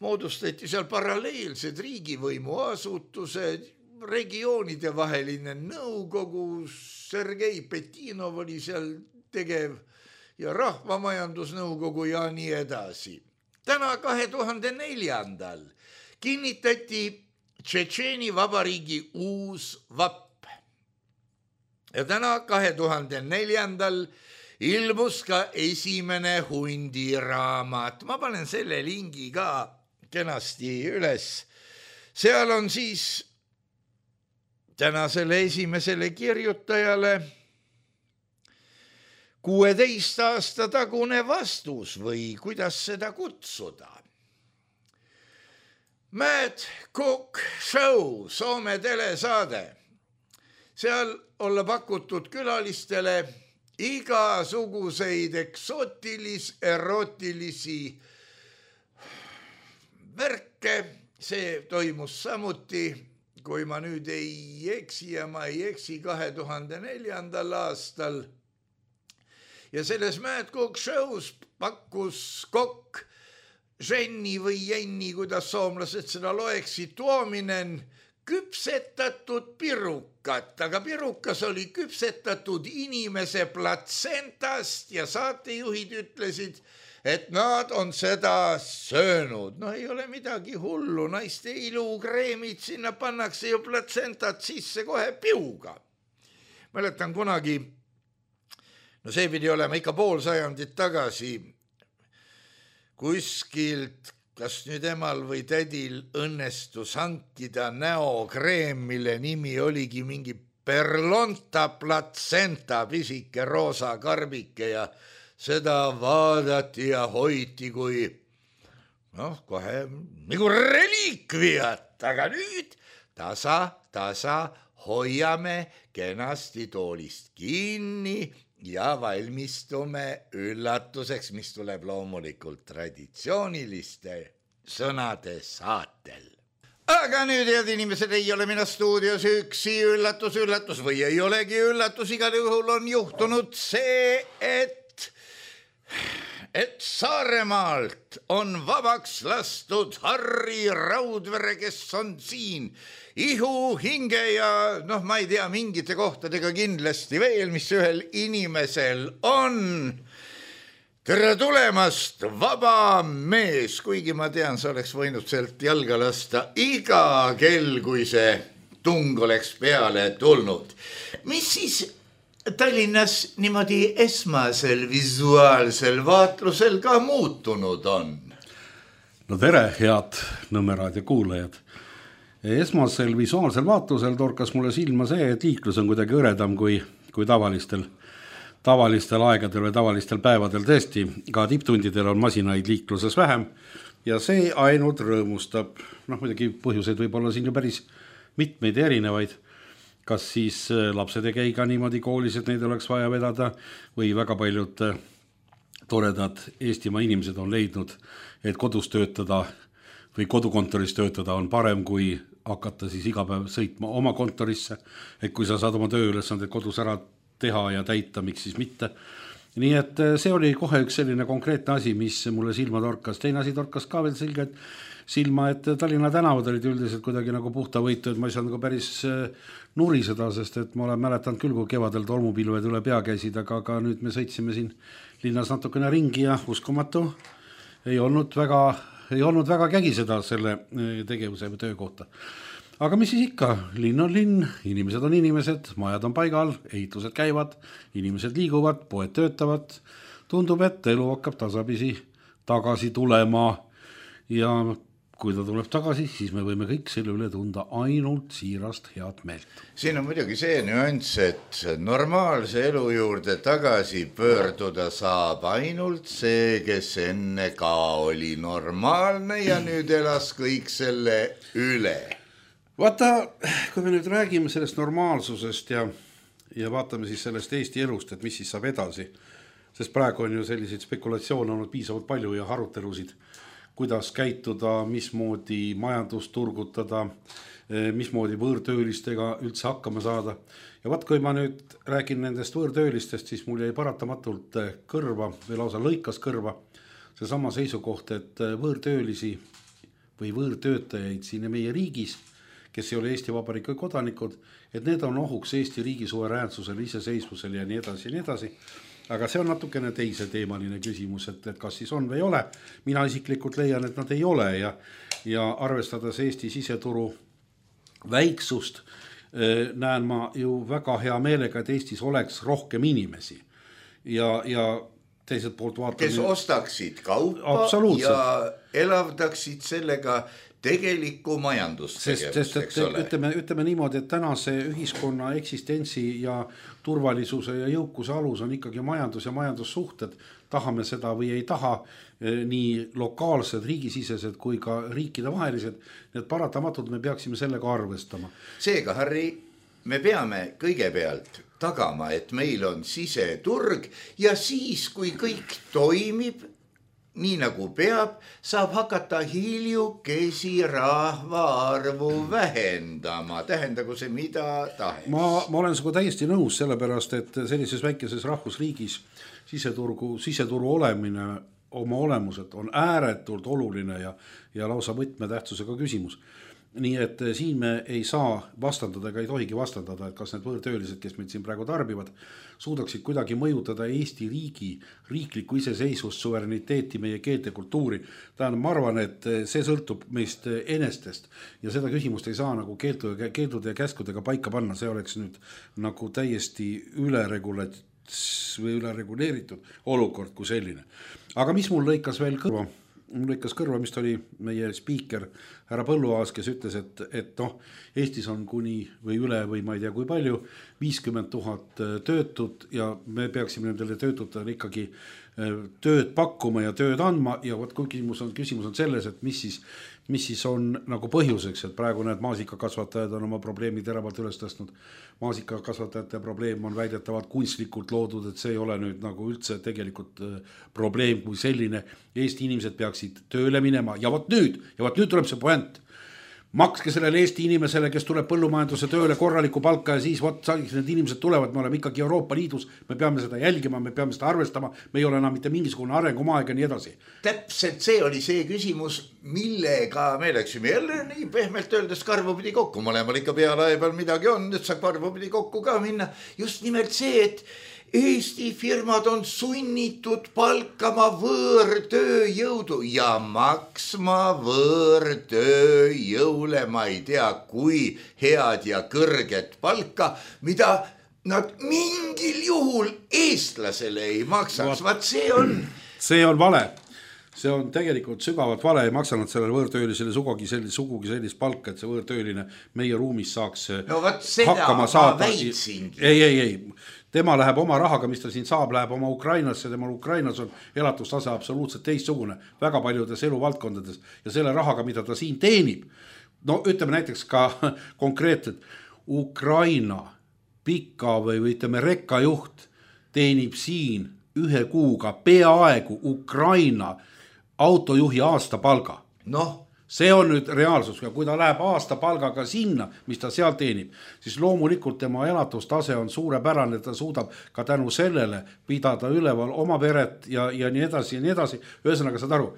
S3: moodustati seal paralleelsed riigivõimu asutused, regioonide vaheline nõukogu, Sergei Petinov oli seal tegev ja rahvamajandusnõukogu ja nii edasi. Täna kahe tuhande neljandal kinnitati Tšetšeeni vabariigi uus vapp. Ja täna kahe tuhande neljandal ilmus ka esimene hundiraamat. Ma panen selle lingi ka kenasti üles. Seal on siis tänasele esimesele kirjutajale kuueteist aasta tagune vastus või kuidas seda kutsuda. Mad Cook Show, Soome telesaade. Seal olla pakutud külalistele igasuguseid eksootilis, erotilisi värke. See toimus samuti, kui ma nüüd ei eksi ja ma ei eksi kahe tuhande neljandal aastal. Ja selles Mad Cook Show's pakkus kokk Jenni või Jenni, kuidas soomlased seda loeksid, tuominen küpsetatud pirukat, aga pirukas oli küpsetatud inimese platsentast ja saatejuhid ütlesid, et nad on seda söönud. No ei ole midagi hullu, naiste ilukreemid, sinna pannakse ju platsentat sisse kohe piuga. Mäletan kunagi, no see pidi olema ikka pool sajandit tagasi, kuskilt, kas nüüd emal või tädil õnnestus hankida näokreem, mille nimi oligi mingi Perlonta Placenta, pisike roosa karbike ja seda vaadati ja hoiti kui noh, kohe nagu reliikviat, aga nüüd tasa, tasa hoiame kenasti toolist kinni ja valmistume üllatuseks, mis tuleb loomulikult traditsiooniliste sõnade saatel. Aga nüüd, head inimesed, ei ole mina stuudios üksi, üllatus, üllatus või ei olegi üllatus, igal juhul on juhtunud see, et, et Saaremaalt on vabaks lastud Harri Raudvere, kes on siin ihu, hinge ja noh, ma ei tea, mingite kohtadega kindlasti veel, mis ühel inimesel on. Tere tulemast, vaba mees, kuigi ma tean, sa oleks võinud sealt jalga lasta iga kell, kui see tung oleks peale tulnud. Mis siis Tallinnas niimoodi esmasel visuaalsel vaatlusel ka muutunud on?
S4: No tere, head Nõmme raadio kuulajad. Esmasel visuaalsel vaatlusel torkas mulle silma see, et liiklus on kuidagi õredam kui, kui tavalistel, tavalistel aegadel või tavalistel päevadel tõesti. Ka tipptundidel on masinaid liikluses vähem ja see ainult rõõmustab. Noh, muidugi põhjuseid võib olla siin ju päris mitmeid erinevaid. Kas siis lapsed ei käi ka niimoodi koolis, et neid oleks vaja vedada või väga paljud toredad Eestimaa inimesed on leidnud, et kodus töötada või kodukontoris töötada on parem, kui hakata siis iga päev sõitma oma kontorisse, et kui sa saad oma tööülesanded kodus ära teha ja täita, miks siis mitte. nii et see oli kohe üks selline konkreetne asi, mis mulle silma torkas. Teine asi torkas ka veel selge, et silma, et Tallinna tänavad olid üldiselt kuidagi nagu puhta võitu, et ma ei saanud nagu päris nuriseda, sest et ma olen mäletanud küll, kui kevadel tolmupilved üle pea käisid, aga, aga nüüd me sõitsime siin linnas natukene ringi ja uskumatu ei olnud väga, ei olnud väga kägiseda selle tegevuse või töö kohta. Aga mis siis ikka, linn on linn, inimesed on inimesed, majad on paigal, ehitused käivad, inimesed liiguvad, poed töötavad, tundub, et elu hakkab tasapisi tagasi tulema ja kui ta tuleb tagasi, siis me võime kõik selle üle tunda ainult siirast head meelt.
S3: Siin on muidugi see nüanss, et normaalse elu juurde tagasi pöörduda saab ainult see, kes enne ka oli normaalne ja nüüd elas kõik selle üle.
S4: Vaata, kui me nüüd räägime sellest normaalsusest ja, ja vaatame siis sellest Eesti elust, et mis siis saab edasi, sest praegu on ju selliseid spekulatsioone olnud piisavalt palju ja arutelusid, kuidas käituda, mismoodi majandust turgutada, mismoodi võõrtöölistega üldse hakkama saada. Ja vaat, kui ma nüüd räägin nendest võõrtöölistest, siis mul jäi paratamatult kõrva või lausa lõikas kõrva see sama seisukoht, et võõrtöölisi või võõrtöötajaid siin meie riigis, kes ei ole Eesti Vabariigi kodanikud, et need on ohuks Eesti riigi suveräänsusele, iseseisvusele ja nii edasi ja nii edasi. Aga see on natukene teise teemaline küsimus, et, et kas siis on või ei ole. Mina isiklikult leian, et nad ei ole ja, ja arvestades Eesti siseturu väiksust, näen ma ju väga hea meelega, et Eestis oleks rohkem inimesi ja, ja teiselt poolt vaatame...
S3: Kes ostaksid kaupa ja elavdaksid sellega tegelikku majandustegevust,
S4: sest, eks ole. Ütleme, ütleme niimoodi, et tänase ühiskonna eksistentsi ja turvalisuse ja jõukuse alus on ikkagi majandus ja majandussuhted. Tahame seda või ei taha, nii lokaalsed, riigisisesed kui ka riikide vahelised. Need paratamatult me peaksime sellega arvestama.
S3: Seega, Harri, me peame kõigepealt tagama, et meil on siseturg ja siis, kui kõik toimib, nii nagu peab, saab hakata hiljukesi rahvaarvu vähendama. Tähendagu see mida tahes.
S4: Ma, ma olen sinuga täiesti nõus sellepärast, et sellises väikeses rahvusriigis siseturgu, siseturu olemine oma olemuselt on ääretult oluline ja, ja lausa võtmetähtsusega küsimus. Nii et siin me ei saa vastandada ega ei tohigi vastandada, et kas need võõrtöölised, kes meid siin praegu tarbivad, suudaksid kuidagi mõjutada Eesti riigi riiklikku iseseisvust, suvereniteeti, meie keelte kultuuri. Tähendab, ma arvan, et see sõltub meist enestest ja seda küsimust ei saa nagu keeldude ja käskudega paika panna. See oleks nüüd nagu täiesti üleregulat- või ülereguleeritud olukord kui selline. Aga mis mul lõikas veel kõrva? Mul lõikas kõrva, mis oli meie spiiker härra Põlluaas, kes ütles, et, et noh, Eestis on kuni või üle või ma ei tea kui palju, viiskümmend tuhat töötut ja me peaksime nendele töötutele ikkagi tööd pakkuma ja tööd andma ja võt, kui küsimus on, küsimus on selles, et mis siis, mis siis on nagu põhjuseks, et praegu need maasikakasvatajad on oma probleemi teravalt üles tõstnud. Maasikakasvatajate probleem on väidetavalt kunstlikult loodud, et see ei ole nüüd nagu üldse tegelikult probleem kui selline. Eesti inimesed peaksid tööle minema ja võt nüüd, ja võt nüüd tuleb see point. Makske sellele Eesti inimesele, kes tuleb põllumajanduse tööle korraliku palka ja siis võt, need inimesed tulevad, me oleme ikkagi Euroopa Liidus, me peame seda jälgima, me peame seda arvestama, me ei ole enam mitte mingisugune arengumaeg ja nii edasi.
S3: Täpselt see oli see küsimus, millega me läksime jälle nii pehmelt öeldes karvu pidi kokku. Mõlemal ikka pealae peal midagi on, et saab karvu pidi kokku ka minna. Just nimelt see, et Eesti firmad on sunnitud palkama võõrtööjõudu ja maksma võõrtööjõule, ma ei tea, kui head ja kõrget palka, mida nad mingil juhul eestlasele ei maksaks. Vaat see on...
S4: See on vale. See on tegelikult sügavalt vale, ei maksanat sellele võõrtöölisele sugugi sellist, sugugi sellist palka, et see võõrtööline meie ruumis saaks
S3: no, hakkama saada.
S4: Ei, ei, ei. Tema läheb oma rahaga, mis ta siin saab, läheb oma Ukrainasse, tema Ukrainas on elatustase absoluutselt teistsugune, väga paljudes eluvaldkondades ja selle rahaga, mida ta siin teenib, no ütleme näiteks ka konkreetselt Ukraina pika või, või ütleme rekkajuht teenib siin ühe kuuga peaaegu Ukraina autojuhi aastapalga.
S3: Noh,
S4: see on nüüd reaalsus ja kui ta läheb aasta palgaga sinna, mis ta seal teenib, siis loomulikult tema elatustase on suurepärane, ta suudab ka tänu sellele pidada üleval oma peret ja, ja nii edasi ja nii edasi. Ühesõnaga saad aru,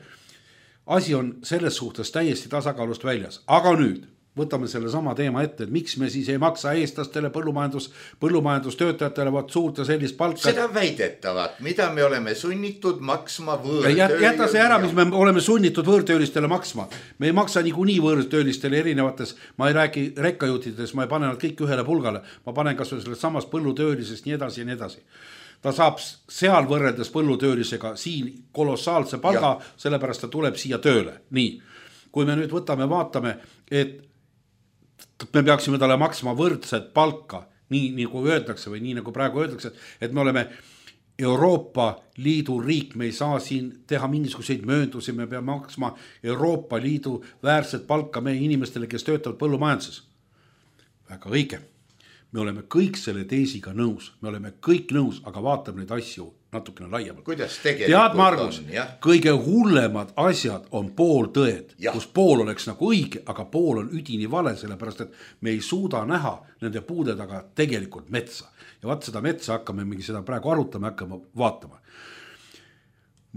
S4: asi on selles suhtes täiesti tasakaalust väljas, aga nüüd võtame selle sama teema ette, et miks me siis ei maksa eestlastele põllumajandus, põllumajandustöötajatele vaat suurt ja sellist palka.
S3: Seda väidetavat, mida me oleme sunnitud maksma võõrtöölisele.
S4: Jäta see ära, mis me oleme sunnitud võõrtöölistele maksma. Me ei maksa niikuinii võõrtöölistele erinevates, ma ei räägi rekkajutides, ma ei pane nad kõik ühele pulgale, ma panen kas või sellest samast põllutöölisest nii edasi ja nii edasi. Ta saab seal võrreldes põllutöölisega siin kolossaalse palga, ja. Sellepärast ta tuleb siia tööle. Nii, kui me nüüd võtame, vaatame, et me peaksime talle maksma võrdset palka, nii nagu öeldakse või nii nagu praegu öeldakse, et me oleme Euroopa Liidu riik, me ei saa siin teha mingisuguseid mööndusi, me peame maksma Euroopa Liidu väärset palka meie inimestele, kes töötavad põllumajanduses. Väga õige. Me oleme kõik selle teesiga nõus, me oleme kõik nõus, aga vaatame neid asju natukene laiemalt.
S3: Kuidas tegelikult
S4: Tead, Margus, on, jah? Kõige hullemad asjad on pooltõed, kus pool oleks nagu õige, aga pool on üdini vale, sellepärast et me ei suuda näha nende puude taga tegelikult metsa. Ja vaat seda metsa hakkame mingi seda praegu arutama, hakkame vaatama.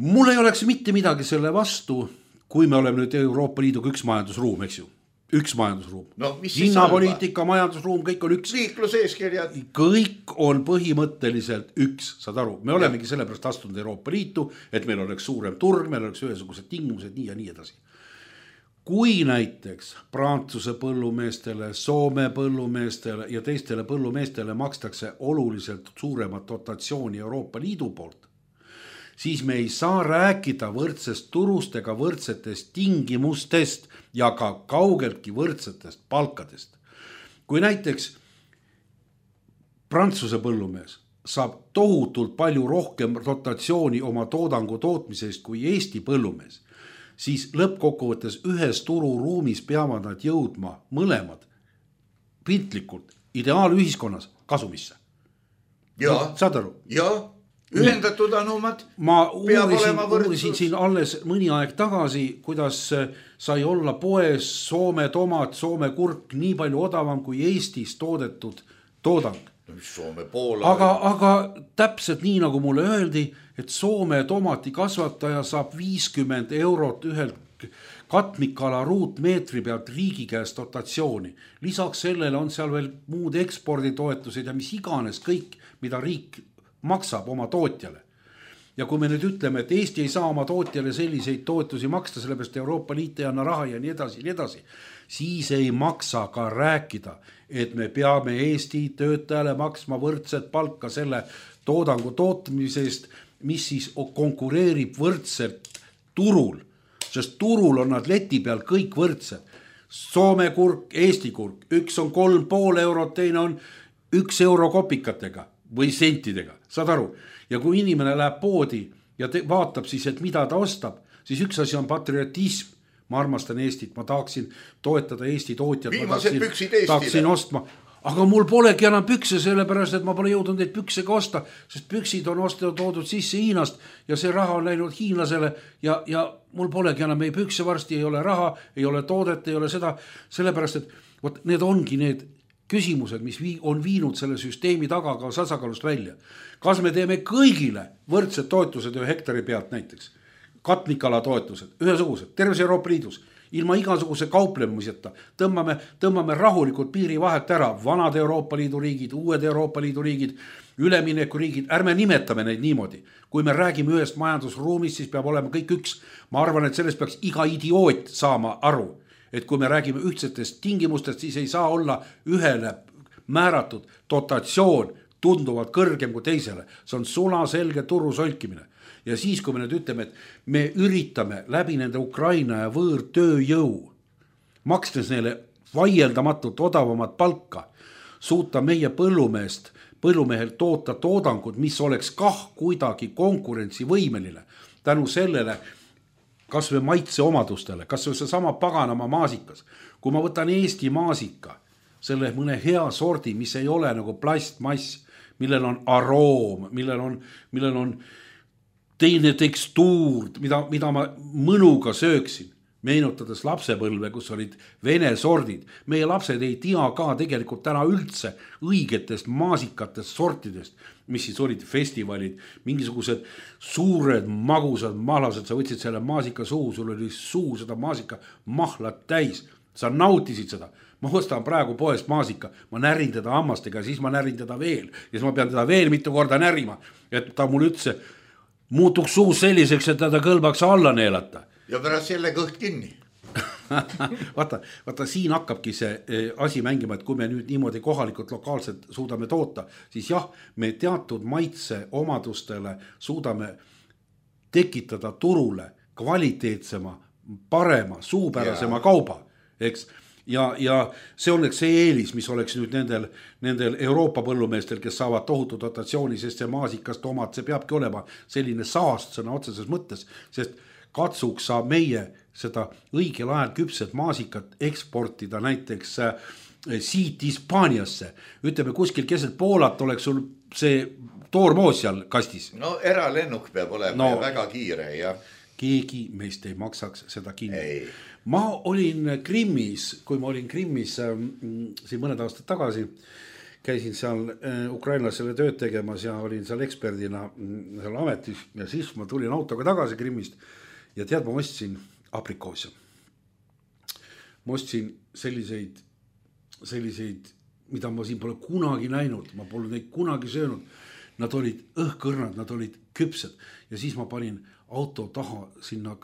S4: Mul ei oleks mitte midagi selle vastu, kui me oleme nüüd Euroopa Liiduga üks majandusruum, eks ju. Üks majandusruum.
S3: No,
S4: hinnapoliitika, majandusruum, kõik on üks.
S3: Liikluseeskirjad.
S4: Kõik on põhimõtteliselt üks, saad aru. Me olemegi sellepärast astunud Euroopa Liitu, et meil oleks suurem turg, meil oleks ühesugused tingimused, nii ja nii edasi. Kui näiteks Prantsuse põllumeestele, Soome põllumeestele ja teistele põllumeestele makstakse oluliselt suuremat dotatsiooni Euroopa Liidu poolt, siis me ei saa rääkida võrdsest turust ega võrdsetest tingimustest ja ka kaugeltki võrdsetest palkadest. Kui näiteks Prantsuse põllumees saab tohutult palju rohkem dotatsiooni oma toodangu tootmisest kui Eesti põllumees, siis lõppkokkuvõttes ühes tururuumis peavad nad jõudma mõlemad piltlikult ideaalühiskonnas kasumisse.
S3: Ja,
S4: no, saad aru?
S3: Ja. Ühendatud anumad.
S4: Ma uurisin, uurisin siin alles mõni aeg tagasi, kuidas sai olla poes Soome tomat, Soome kurk nii palju odavam kui Eestis toodetud toodang.
S3: Soome Poola.
S4: Aga, aga täpselt nii nagu mulle öeldi, et Soome tomati kasvataja saab viiskümmend eurot ühelt katmikala ruutmeetri pealt riigi käest dotatsiooni. Lisaks sellele on seal veel muud eksporditoetused ja mis iganes kõik, mida riik maksab oma tootjale. Ja kui me nüüd ütleme, et Eesti ei saa oma tootjale selliseid toetusi maksta, sellepärast Euroopa Liit ei anna raha ja nii edasi, nii edasi, siis ei maksa ka rääkida, et me peame Eesti töötajale maksma võrdset palka selle toodangu tootmisest, mis siis konkureerib võrdselt turul, sest turul on nad leti peal kõik võrdsed. Soome kurk, Eesti kurk, üks on kolm pool eurot, teine on üks euro kopikatega või sentidega, saad aru? Ja kui inimene läheb poodi ja te, vaatab siis, et mida ta ostab, siis üks asi on patriotism. Ma armastan Eestit, ma tahaksin toetada Eesti tootjad.
S3: Viimased püksid Eestile.
S4: Tahaksin ostma, aga mul polegi enam pükse, sellepärast, et ma pole jõudnud neid püksega osta, sest püksid on osta toodud sisse Hiinast ja see raha on läinud hiinlasele ja, ja mul polegi enam ei pükse varsti, ei ole raha, ei ole toodet, ei ole seda, sellepärast, et võt, need ongi need küsimused, mis vii, on viinud selle süsteemi taga ka sasakalust välja. Kas me teeme kõigile võrdsed toetused ühe hektari pealt näiteks? Katmikala toetused, ühesugused, terves Euroopa Liidus, ilma igasuguse kauplemiseta, tõmbame, tõmbame rahulikult piiri vahelt ära, vanad Euroopa Liidu riigid, uued Euroopa Liidu riigid, ülemineku riigid, ärme nimetame neid niimoodi. Kui me räägime ühest majandusruumist, siis peab olema kõik üks. Ma arvan, et sellest peaks iga idioot saama aru, et kui me räägime ühtsetest tingimustest, siis ei saa olla ühele määratud dotatsioon tunduvalt kõrgem kui teisele. See on sula selge turu solkimine. Ja siis, kui me nüüd ütleme, et me üritame läbi nende Ukraina ja võõr tööjõu, makstes neile vaieldamatult odavamat palka, suuta meie põllumeest, põllumehel toota toodangut, mis oleks kah kuidagi konkurentsivõimeline. Tänu sellele, kas või maitse omadustele, kas või see sama paganama maasikas. Kui ma võtan Eesti maasika, selle mõne hea sordi, mis ei ole nagu plastmass, millel on aroom, millel on, millel on teine tekstuur, mida, mida ma mõnuga sööksin. meenutades lapsepõlve, kus olid vene sordid. Meie lapsed ei tea ka tegelikult täna üldse õigetest maasikatest sortidest, mis siis olid festivalid, mingisugused suured magusad mahlased, sa võtsid selle maasika suu, sul oli suu seda maasika mahlat täis, sa nautisid seda. Ma ostan praegu poest maasika, ma närin teda hammastega, siis ma närin teda veel ja siis ma pean teda veel mitu korda närima, et ta mul üldse muutuks suus selliseks, et teda kõlbaks alla neelata.
S3: Ja pärast selle kõht kinni.
S4: vaata, vaata, siin hakkabki see asi mängima, et kui me nüüd niimoodi kohalikult lokaalselt suudame toota, siis jah, me teatud maitse omadustele suudame tekitada turule kvaliteetsema, parema, suupärasema ja. kauba, eks? Ja, ja see oleks see eelis, mis oleks nüüd nendel, nendel Euroopa põllumeestel, kes saavad tohutu dotatsiooni, sest see maasikast omad, see peabki olema selline saast sõna otseses mõttes, sest katsuks saab meie seda õigel ajal küpset maasikat eksportida näiteks äh, siit Hispaaniasse. Ütleme, kuskil keset Poolat oleks sul see toormoos seal kastis.
S3: No eralennuk peab olema no, ja väga kiire. Ja.
S4: Keegi meist ei maksaks seda kinni. Ei. Ma olin Krimmis, kui ma olin Krimmis äh, siin mõned aastad tagasi, käisin seal äh, ukrainlasele tööd tegemas ja olin seal eksperdina äh, seal ametis ja siis ma tulin autoga tagasi Krimmist. Ja tead, ma ostsin aprikoose. Ma ostsin selliseid, selliseid, mida ma siin pole kunagi näinud. Ma pole neid kunagi söönud. Nad olid õhkõrnad, nad olid küpsed. Ja siis ma panin auto taha sinna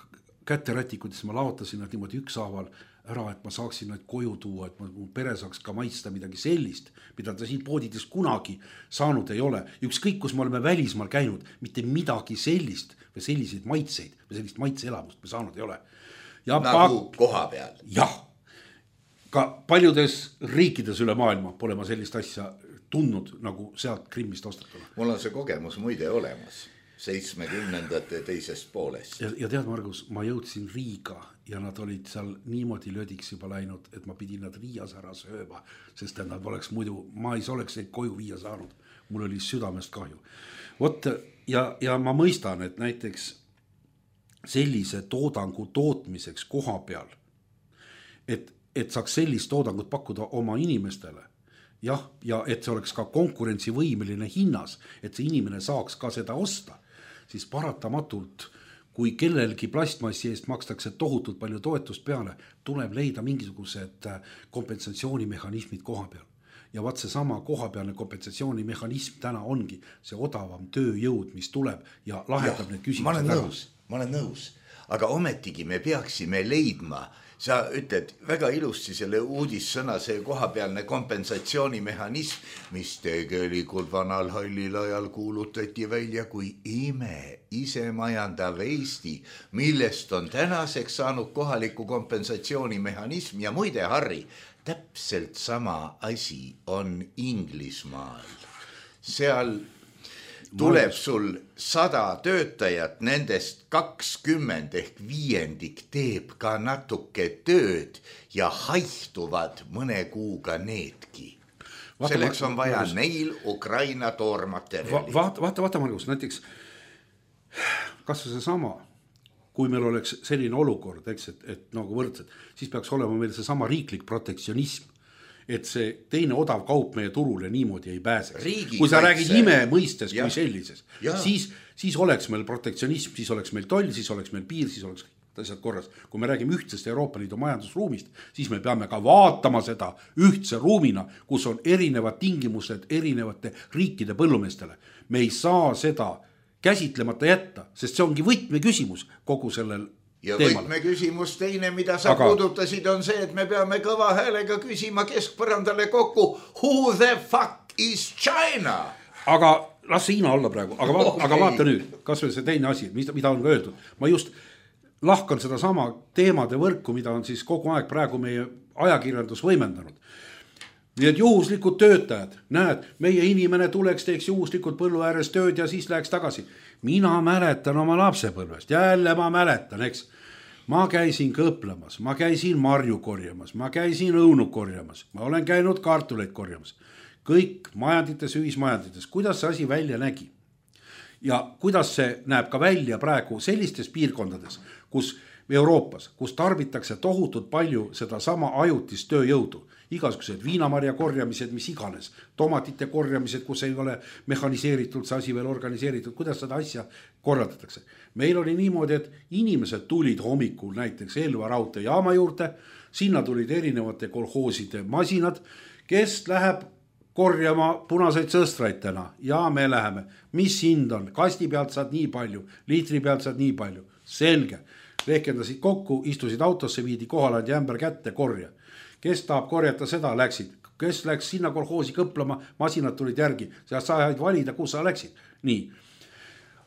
S4: käterätikud, siis ma laotasin nad niimoodi ükshaaval ära, et ma saaksin nad koju tuua, et mu pere saaks ka maitsta midagi sellist, mida ta siin poodides kunagi saanud ei ole. Ükskõik, kus me oleme välismaal käinud, mitte midagi sellist või selliseid maitseid või sellist maitseelamust me saanud ei ole. Ja
S3: nagu pa... koha peal.
S4: Jah, ka paljudes riikides üle maailma pole ma sellist asja tundnud nagu sealt Krimmist ostatuna.
S3: Mul on see kogemus muide olemas seitsmekümnendate teisest poolest.
S4: Ja, ja tead, Margus, ma jõudsin Riiga ja nad olid seal niimoodi löödiks juba läinud, et ma pidin nad Riias ära sööma, sest nad oleks muidu, ma ei oleks neid koju viia saanud. Mul oli südamest kahju. Vot, ja, ja ma mõistan, et näiteks sellise toodangu tootmiseks koha peal, et, et saaks sellist toodangut pakkuda oma inimestele, jah, ja et see oleks ka konkurentsivõimeline hinnas, et see inimene saaks ka seda osta, siis paratamatult, kui kellelgi plastmassi eest makstakse tohutult palju toetust peale, tuleb leida mingisugused kompensatsioonimehhanismid koha peal. Ja vaat see sama kohapealne kompensatsioonimehhanism täna ongi see odavam tööjõud, mis tuleb ja lahendab need küsimused.
S3: Ma olen nõus, ma olen nõus, aga ometigi me peaksime leidma, sa ütled väga ilusti selle uudissõna, see kohapealne kompensatsioonimehhanism, mis tegelikult vanal hallil ajal kuulutati välja kui ime isemajandav Eesti, millest on tänaseks saanud kohaliku kompensatsioonimehhanism ja muide, Harri, täpselt sama asi on Inglismaal. Seal tuleb sul sada töötajat, nendest kakskümmend ehk viiendik teeb ka natuke tööd ja haihtuvad mõne kuuga needki. Vaata, selleks on vaja Margus, neil Ukraina toormaterjali.
S4: Vaata, vaata, vaata Margus, näiteks kas see sama, kui meil oleks selline olukord, eks, et, et nagu võrdsed, siis peaks olema meil see sama riiklik protektsionism, et see teine odav kaup meie turule niimoodi ei pääseks. Riigi kui sa kaitse. Räägid ime mõistes ja. Kui sellises, siis, siis oleks meil protektsionism, siis oleks meil toll, siis oleks meil piir, siis oleks asjad korras. Kui me räägime ühtsest Euroopa Liidu majandusruumist, siis me peame ka vaatama seda ühtse ruumina, kus on erinevad tingimused erinevate riikide põllumeestele. Me ei saa seda käsitlemata jätta, sest see ongi võtme küsimus kogu sellel
S3: ja
S4: teemal.
S3: Võtme küsimus teine, mida sa Aga... puudutasid, on see, et me peame kõva häälega küsima keskpõrandale kokku Who the fuck is China?
S4: Aga las see Hiina olla praegu, aga, va okay. aga vaata nüüd, kas või see teine asi, mida on ka öeldud. Ma just lahkan seda sama teemade võrku, mida on siis kogu aeg praegu meie ajakirjandus võimendanud. Nii et juhuslikud töötajad, näed, meie inimene tuleks, teeks juhuslikud põllu ääres tööd ja siis läheks tagasi. Mina mäletan oma lapsepõlvest, jälle ma mäletan, eks. Ma käisin kõplamas, ma käisin marju korjamas, ma käisin õunu korjamas, ma olen käinud kartuleid korjamas. Kõik majandites, ühismajandites, kuidas see asi välja nägi. Ja kuidas see näeb ka välja praegu sellistes piirkondades, kus Euroopas, kus tarbitakse tohutult palju seda sama ajutist tööjõudu, igasugused viinamarja korjamised, mis iganes, tomatite korjamised, kus ei ole mehhaniseeritud see asi veel organiseeritud, kuidas seda asja korraldatakse. Meil oli niimoodi, et inimesed tulid hommikul näiteks Elva raudteejaama juurde, sinna tulid erinevate kolhooside masinad, kes läheb korjama punaseid sõstraitena ja me läheme, mis hind on, kasti pealt saad nii palju, liitri pealt saad nii palju, selge, rehkendasid kokku, istusid autosse, viidi kohalandi ämber kätte, korja. Kes tahab korjata seda, läksid, kes läks sinna kolhoosi kõplama, masinad tulid järgi, sa said valida, kus sa läksid. Nii,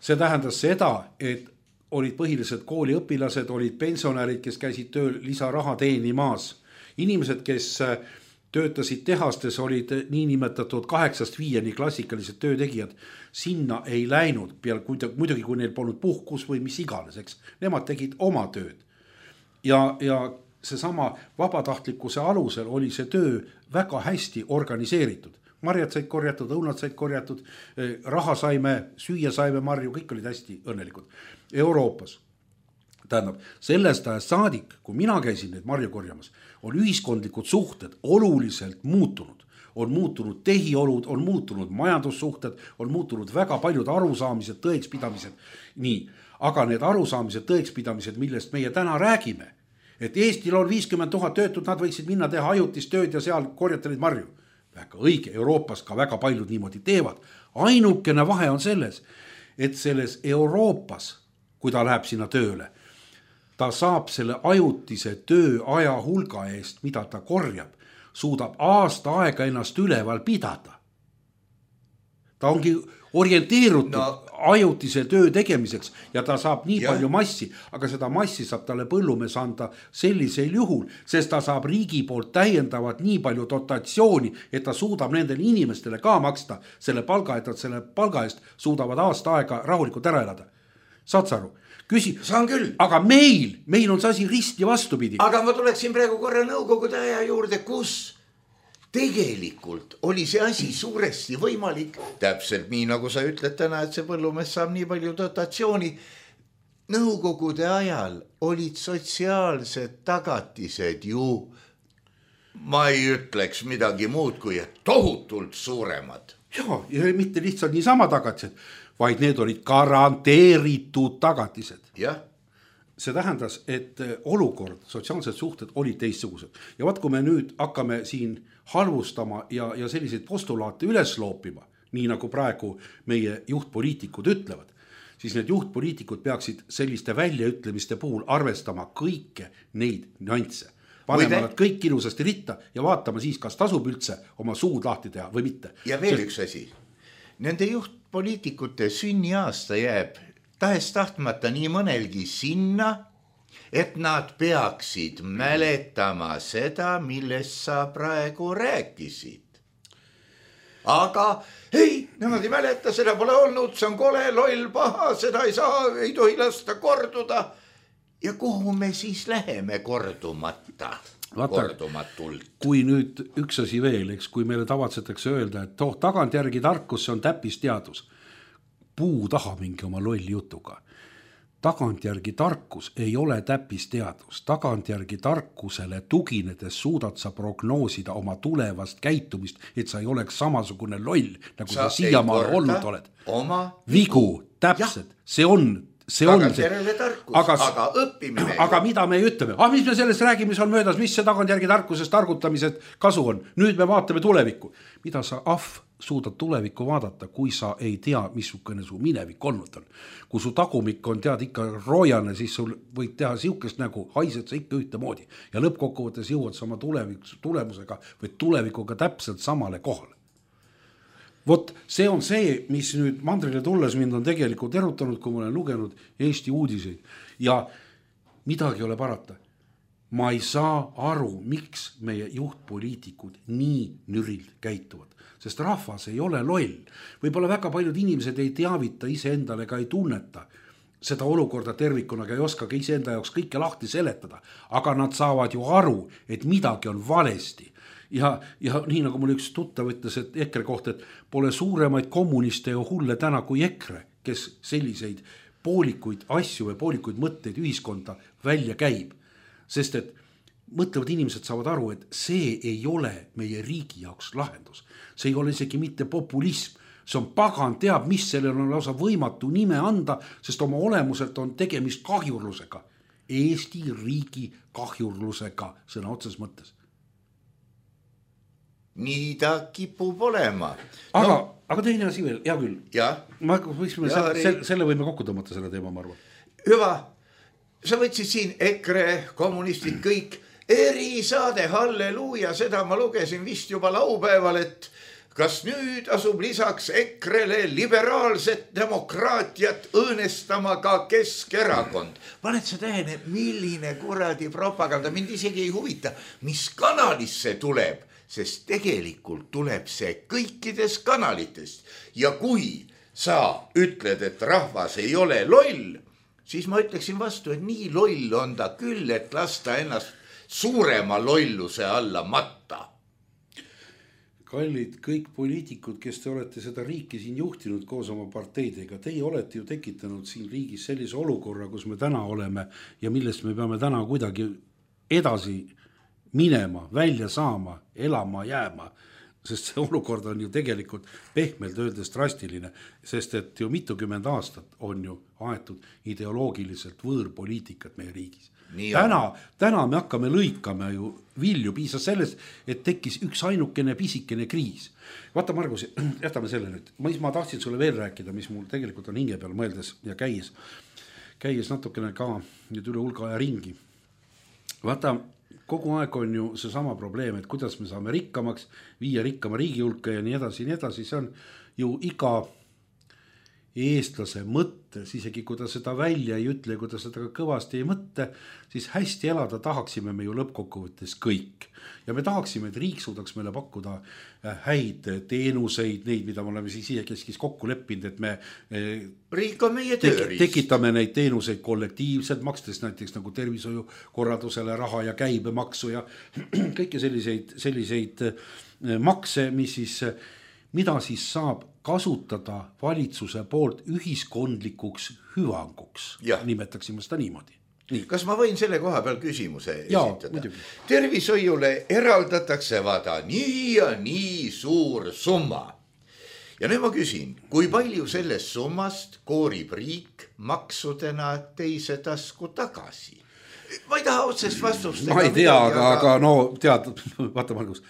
S4: see tähendas seda, et olid põhilised kooliõpilased, olid pensionärid, kes käisid tööl lisaraha teenimaas, inimesed, kes töötasid tehastes, olid niinimetatud kaheksast viieni klassikalised töötegijad, sinna ei läinud, peale, muidugi kui neil polnud puhkus või mis iganes, eks, nemad tegid oma tööd. Ja, ja seesama vabatahtlikkuse alusel oli see töö väga hästi organiseeritud. Marjad said korjatud, õunad said korjatud, raha saime, süüa saime marju, kõik olid hästi õnnelikud. Euroopas, tähendab, sellest ajast saadik, kui mina käisin neid marju korjamas, on ühiskondlikud suhted oluliselt muutunud. On muutunud tehiolud, on muutunud majandussuhted, on muutunud väga paljud arusaamised, tõekspidamised. Nii, aga need arusaamised, tõekspidamised, millest meie täna räägime, et Eestil on viiskümmend tuhat töötud, nad võiksid minna teha ajutist tööd ja seal korjata neid marju. Väga õige, Euroopas ka väga paljud niimoodi teevad. Ainukene vahe on selles, et selles Euroopas, kui ta läheb sinna tööle, ta saab selle ajutise tööaja hulga eest, mida ta korjab, suudab aasta aega ennast üleval pidada. Ta ongi orienteerutud no. ajutise töö tegemiseks ja ta saab nii ja. palju massi, aga seda massi saab talle põllumees anda sellisel juhul, sest ta saab riigi poolt täiendavat nii palju dotatsiooni, et ta suudab nendele inimestele ka maksta selle palga, et nad selle palga eest suudavad aasta aega rahulikult ära elada. Saad sa aru? Küsi,
S3: saan küll.
S4: Aga meil, meil on see asi risti vastupidi.
S3: Aga ma tuleksin praegu korra nõukogude aja juurde, kus tegelikult oli see asi suuresti võimalik. Täpselt nii, nagu sa ütled täna, et see põllumees saab nii palju dotatsiooni. Nõukogude ajal olid sotsiaalsed tagatised ju, ma ei ütleks midagi muud kui tohutult suuremad.
S4: Ja, ja mitte lihtsalt niisama tagatised, vaid need olid garanteeritud tagatised.
S3: Jah.
S4: See tähendas, et olukord, sotsiaalsed suhted olid teistsugused. Ja vaat, kui me nüüd hakkame siin halvustama ja, ja selliseid postulaate üles loopima, nii nagu praegu meie juhtpoliitikud ütlevad, siis need juhtpoliitikud peaksid selliste väljaütlemiste puhul arvestama kõike neid nüansse. Panema nad kõik ilusasti ritta ja vaatama siis, kas tasub üldse oma suud lahti teha või mitte.
S3: Ja veel üks asi. Nende juhtpoliitikute sünniaasta jääb tahes tahtmata nii mõnelgi sinna, et nad peaksid mäletama seda, millest sa praegu rääkisid. Aga ei, nemad ei mäleta, seda pole olnud, see on kole, loll, paha, seda ei saa, ei tohi lasta korduda. Ja kuhu me siis läheme kordumata?
S4: Vaata, kui nüüd üks asi veel, eks, kui meile tavatsetakse öelda, et toh, tagantjärgi tarkus, see on täppisteadus. Puu taha mingi oma lolli jutuga. Tagantjärgi tarkus ei ole täppisteadus. Tagantjärgi tarkusele tuginedes suudad sa prognoosida oma tulevast käitumist, et sa ei oleks samasugune loll, nagu sa, sa siiamaal olnud oled.
S3: Oma
S4: vigu, täpselt, ja. see on See on see.
S3: Tarkus, aga, aga õppimine.
S4: Aga mida me ütleme? Ah, mis me sellest räägime, mis on möödas, mis see tagantjärgi tarkusest targutamised kasu on? Nüüd me vaatame tulevikku. Mida sa ahv suudad tulevikku vaadata, kui sa ei tea, missugune su minevik olnud on? Kui su tagumik on tead ikka roojane, siis sul võid teha siukest nägu, haised sa ikka ühte moodi. Ja lõppkokkuvõttes jõuad sa oma tulevik, tulemusega või tulevikuga täpselt samale kohale. Vot see on see, mis nüüd mandrile tulles mind on tegelikult erutanud, kui ma olen lugenud Eesti uudiseid ja midagi ei ole parata. Ma ei saa aru, miks meie juhtpoliitikud nii nürilt käituvad, sest rahvas ei ole loll. Võib-olla väga paljud inimesed ei teavita ise endale ega ei tunneta seda olukorda tervikuna, ei oska ka ise enda jaoks kõike lahti seletada, aga nad saavad ju aru, et midagi on valesti. Ja, ja nii nagu mul üks tuttav ütles, et EKRE kohta, et pole suuremaid kommuniste ja hulle täna kui EKRE, kes selliseid poolikuid asju või poolikuid mõtteid ühiskonda välja käib. Sest et mõtlevad inimesed saavad aru, et see ei ole meie riigi jaoks lahendus. See ei ole isegi mitte populism. See on pagan teab, mis sellel on lausa võimatu nime anda, sest oma olemuselt on tegemist kahjurlusega. Eesti riigi kahjurlusega sõna otses mõttes.
S3: Nii ta kipub olema.
S4: Aga, no, aga teine asi veel, hea küll.
S3: Ja?
S4: Ma, võiksime, ja, selle, selle võime kokku tõmmata selle teema, ma arvan.
S3: Hüva, sa võtsid siin EKRE, kommunistid, kõik erisaade, halleluuja, seda ma lugesin vist juba laupäeval, et kas nüüd asub lisaks EKRE-le liberaalset demokraatiat õõnestama ka Keskerakond? Paned sa tähele, milline kuradi propaganda, mind isegi ei huvita, mis kanalisse tuleb, sest tegelikult tuleb see kõikides kanalitest. Ja kui sa ütled, et rahvas ei ole loll, siis ma ütleksin vastu, et nii loll on ta küll, et lasta ennast suurema lolluse alla matta.
S4: Kallid kõik poliitikud, kes te olete seda riiki siin juhtinud koos oma parteidega, teie olete ju tekitanud siin riigis sellise olukorra, kus me täna oleme ja millest me peame täna kuidagi edasi minema, välja saama, elama, jääma, sest see olukord on ju tegelikult pehmelt öeldes drastiline, sest et ju mitukümmend aastat on ju aetud ideoloogiliselt võõrpoliitikat meie riigis. Täna, täna me hakkame lõikama ju vilju, piisas sellest, et tekkis üks ainukene pisikene kriis. Vaata, Margus, jätame selle nüüd. Ma, ma tahtsin sulle veel rääkida, mis mul tegelikult on hinge peal mõeldes ja käies, käies natukene ka nüüd üle hulga aja ringi. Vaata, kogu aeg on ju see sama probleem, et kuidas me saame rikkamaks, viia rikkama riigi hulka ja nii edasi, nii edasi. See on ju iga eestlase mõttes, isegi kui ta seda välja ei ütle, kui ta seda kõvasti ei mõtte, siis hästi elada tahaksime me ju lõppkokkuvõttes kõik. Ja me tahaksime, et riik suudaks meile pakkuda häid teenuseid, neid, mida me oleme siis keskis kokku leppinud, et me
S3: riik on meie tööriist.
S4: Tekitame neid teenuseid kollektiivselt, makstes näiteks nagu tervishoiukorraldusele raha ja käibemaksu ja kõiki selliseid, selliseid makse, mis siis, mida siis saab kasutada valitsuse poolt ühiskondlikuks hüvanguks, ja. Nimetaksime seda niimoodi. Nii.
S3: Kas ma võin selle koha peal küsimuse
S4: ja,
S3: esitada?
S4: Muidugi.
S3: Tervishoiule eraldatakse vaada nii ja nii suur summa. Ja nüüd ma küsin, kui palju sellest summast koorib riik maksudena teise tasku tagasi? Ma ei taha otsest vastust.
S4: Ma ei tea, aga, aga no tead, vaata Margus,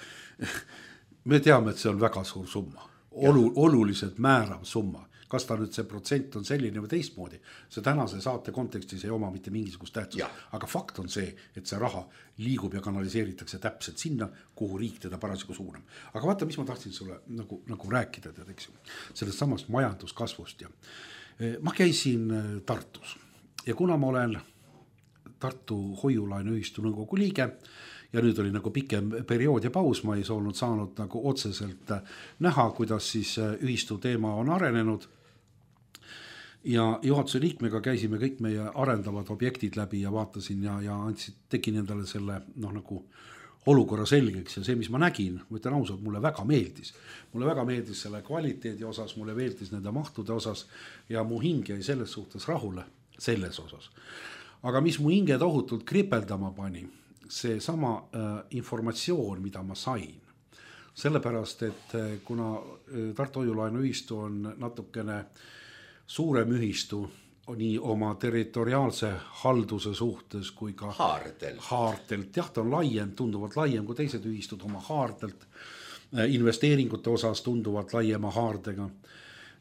S4: me teame, et see on väga suur summa. Olu, oluliselt määrav summa. Kas ta nüüd see protsent on selline või teistmoodi, see tänase saate kontekstis ei oma mitte mingisugust tähtsust. Aga fakt on see, et see raha liigub ja kanaliseeritakse täpselt sinna, kuhu riik teda parasjagu suunab. Aga vaata, mis ma tahtsin sulle nagu, nagu rääkida, tead, eks ju, sellest samast majanduskasvust. Ja. Ma käisin Tartus ja kuna ma olen Tartu hoiulaenuühistu nõukogu liige, ja nüüd oli nagu pikem periood ja paus, ma ei olnud saanud nagu otseselt näha, kuidas siis ühistu teema on arenenud. Ja juhatuse liikmega käisime kõik meie arendavad objektid läbi ja vaatasin ja, ja andsid, tegin endale selle noh, nagu olukorra selgeks ja see, mis ma nägin, ma ütlen ausalt, mulle väga meeldis. Mulle väga meeldis selle kvaliteedi osas, mulle meeldis nende mahtude osas ja mu hing jäi selles suhtes rahule, selles osas. Aga mis mu hinge tohutult kripeldama pani, see sama äh, informatsioon, mida ma sain. Sellepärast, et äh, kuna äh, Tartu hoiulaenuühistu on natukene suurem ühistu nii oma territoriaalse halduse suhtes kui ka
S3: haardelt.
S4: haardelt. Jah, ta on laiem, tunduvalt laiem kui teised ühistud oma haardelt. Äh, investeeringute osas tunduvalt laiema haardega.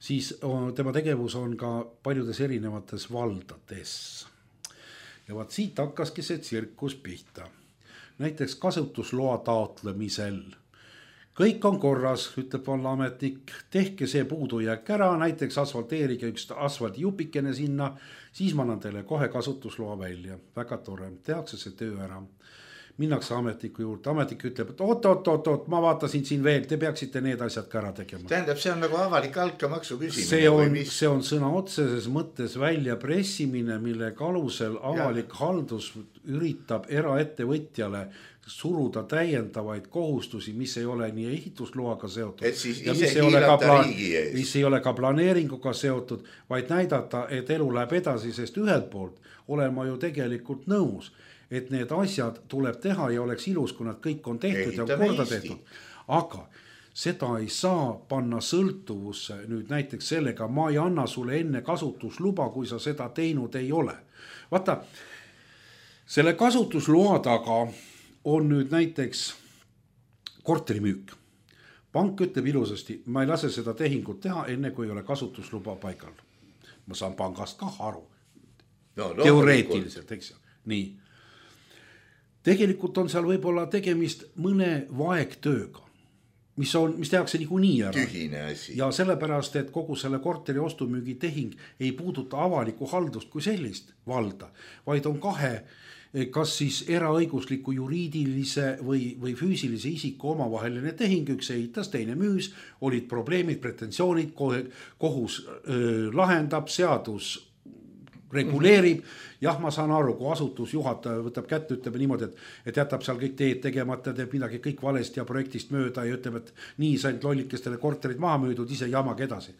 S4: Siis äh, tema tegevus on ka paljudes erinevates valdades. Ja vaat siit hakkaski see tsirkus pihta. Näiteks kasutusloa taotlemisel. Kõik on korras, ütleb vallaametnik, tehke see puudujääk ära, näiteks asfalteerige üks asfaldijupikene sinna, siis ma annan teile kohe kasutusloa välja. Väga tore, tehakse see töö ära. minnakse ametniku juurde, ametnik ütleb, et oot, oot, oot, oot, ma vaatasin siin veel, te peaksite need asjad ka ära tegema.
S3: Tähendab, see on nagu avalik altkäemaksu küsimine.
S4: See on, see on sõna otseses mõttes välja pressimine, mille alusel avalik ja. haldus üritab eraettevõtjale suruda täiendavaid kohustusi, mis ei ole nii ehitusloaga seotud.
S3: Et siis ja ise hiilata riigi ees.
S4: Mis ei ole ka planeeringuga seotud, vaid näidata, et elu läheb edasi, sest ühelt poolt olen ma ju tegelikult nõus, et need asjad tuleb teha ja oleks ilus, kui nad kõik on tehtud Ehitame ja korda Eesti. tehtud. Aga seda ei saa panna sõltuvusse nüüd näiteks sellega, ma ei anna sulle enne kasutusluba, kui sa seda teinud ei ole. Vaata, selle kasutusloa taga on nüüd näiteks korterimüük. Pank ütleb ilusasti, ma ei lase seda tehingut teha, enne kui ei ole kasutusluba paikal. Ma saan pangast ka aru. No, teoreetiliselt, eks ju. Nii. Tegelikult on seal võib-olla tegemist mõne vaegtööga, mis, on, mis tehakse niikuinii ära.
S3: Tühine asi.
S4: Ja sellepärast, et kogu selle korteri ostumüügi tehing ei puuduta avaliku haldust kui sellist valda, vaid on kahe, kas siis eraõigusliku juriidilise või, või füüsilise isiku omavaheline tehing, üks ehitas, teine müüs, olid probleemid, pretensioonid, kohus öö, lahendab, seadus reguleerib, jah, ma saan aru, kui asutusjuhataja võtab kätte, ütleb niimoodi, et, et jätab seal kõik teed tegemata, teeb midagi kõik valesti ja projektist mööda ja ütleb, et nii said lollikestele korterid maha müüdud, ise jamag edasi.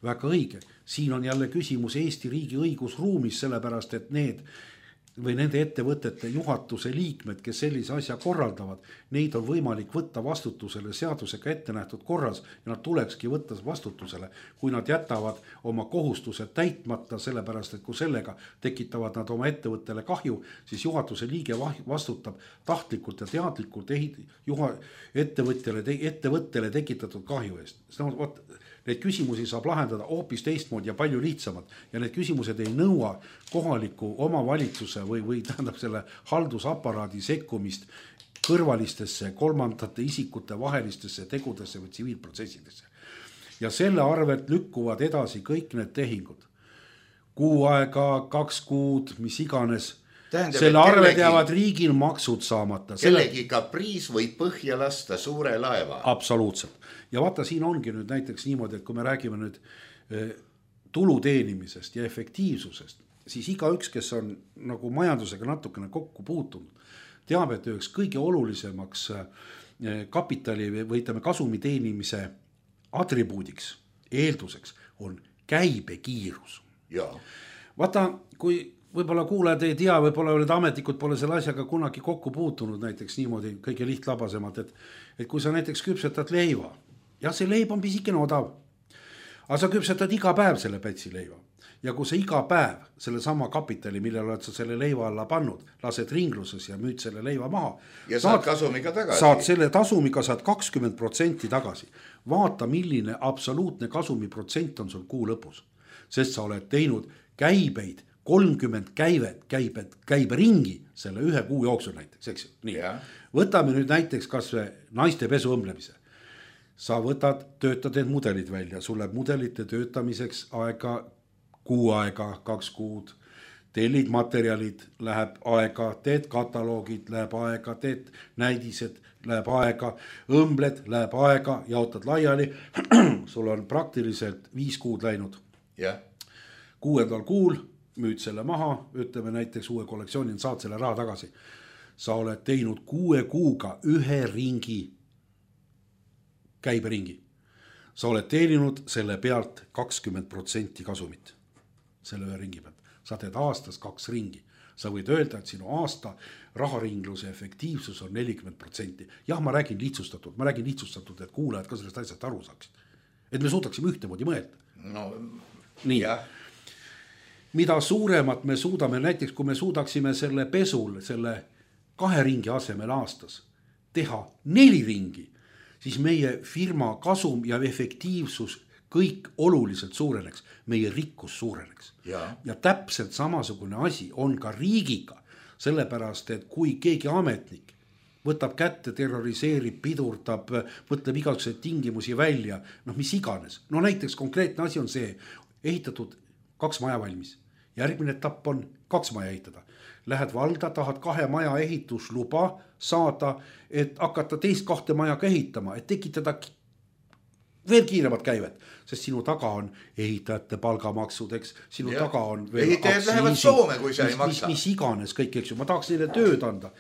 S4: Väga õige. Siin on jälle küsimus Eesti riigi õigusruumis, sellepärast, et need või nende ettevõtete juhatuse liikmed, kes sellise asja korraldavad, neid on võimalik võtta vastutusele seadusega ette nähtud korras ja nad tulekski võtta vastutusele, kui nad jätavad oma kohustused täitmata, sellepärast, et kui sellega tekitavad nad oma ettevõttele kahju, siis juhatuse liige vastutab tahtlikult ja teadlikult ehit, juha, ettevõttele, ettevõttele tekitatud kahju eest. Need küsimusi saab lahendada hoopis teistmoodi ja palju lihtsamad ja need küsimused ei nõua kohaliku omavalitsuse või, või tähendab selle haldusaparaadi sekkumist kõrvalistesse kolmandate isikute vahelistesse tegudesse või tsiviilprotsessidesse. Ja selle arvelt lükkuvad edasi kõik need tehingud. Kuu aega, kaks kuud, mis iganes. Tähendab, selle arved jäävad riigil maksud saamata.
S3: Kellegi kapriis võib põhja lasta suure laeva.
S4: Absoluutselt. Ja vaata, siin ongi nüüd näiteks niimoodi, et kui me räägime nüüd tulu teenimisest ja efektiivsusest, siis iga üks, kes on nagu majandusega natukene kokku puutunud, teab, et üheks kõige olulisemaks kapitali või ütleme kasumi teenimise atribuudiks, eelduseks on käibekiirus.
S3: Ja.
S4: Vaata, kui võib-olla kuulajad ei tea, võib-olla oled ametnikud pole selle asjaga kunagi kokku puutunud näiteks niimoodi kõige lihtlabasemalt, et, et kui sa näiteks küpsetad leiva, ja see leib on pisikene odav, aga sa küpsetad iga päev selle pätsi leiva ja kui sa iga päev selle sama kapitali, millele oled sa selle leiva alla pannud, lased ringluses ja müüd selle leiva maha
S3: ja saad, saad kasumiga tagasi.
S4: Saad selle tasumiga saad kakskümmend protsenti tagasi. Vaata, milline absoluutne kasumiprotsent on sul kuu lõpus, sest sa oled teinud käibeid kolmkümmend käivet, käibed, käibe ringi selle ühe kuu jooksul näiteks, eks ju. Nii.
S3: Ja.
S4: Võtame nüüd näiteks kas või naiste pesu õmblemise. Sa võtad, töötad need mudelid välja, sul läheb mudelite töötamiseks aega, kuu aega, kaks kuud, tellid materjalid, läheb aega, teed kataloogid, läheb aega, teed näidised, läheb aega, õmbled, läheb aega, jaotad laiali, sul on praktiliselt viis kuud läinud.
S3: Ja.
S4: Kuuendal kuul müüd selle maha, ütleme näiteks uue kollektsiooni, saad selle raha tagasi. Sa oled teinud kuue kuuga ühe ringi, käiberingi. Sa oled teeninud selle pealt kakskümmend protsenti kasumit, selle ühe ringi pealt. Sa teed aastas kaks ringi. Sa võid öelda, et sinu aasta raharingluse efektiivsus on nelikümmend protsenti. Jah, ma räägin lihtsustatud, ma räägin lihtsustatud, et kuulajad ka sellest asjast aru saaksid. Et me suudaksime ühtemoodi mõelda.
S3: No,
S4: nii.
S3: Jah.
S4: Mida suuremat me suudame, näiteks kui me suudaksime selle pesul, selle kahe ringi asemel aastas teha neli ringi, siis meie firma kasum ja efektiivsus kõik oluliselt suureneks, meie rikkus suureneks.
S3: Ja.
S4: ja täpselt samasugune asi on ka riigiga, sellepärast, et kui keegi ametnik võtab kätte, terroriseerib, pidurdab, võtleb igasuguseid tingimusi välja, noh mis iganes. No näiteks konkreetne asi on see, ehitatud kaks maja valmis. Järgmine etapp on kaks maja ehitada. lähed valda, tahad kahe maja ehitusluba saada, et hakata teist kahte maja ehitama, et tekitada veel kiiremat käivet, sest sinu taga on ehitajate palgamaksud, eks, sinu ja. taga on
S3: ehitajad lähevad Soome, kui sa ei maksa.
S4: Mis, mis iganes kõik, eks ju, ma tahaks neile tööd anda.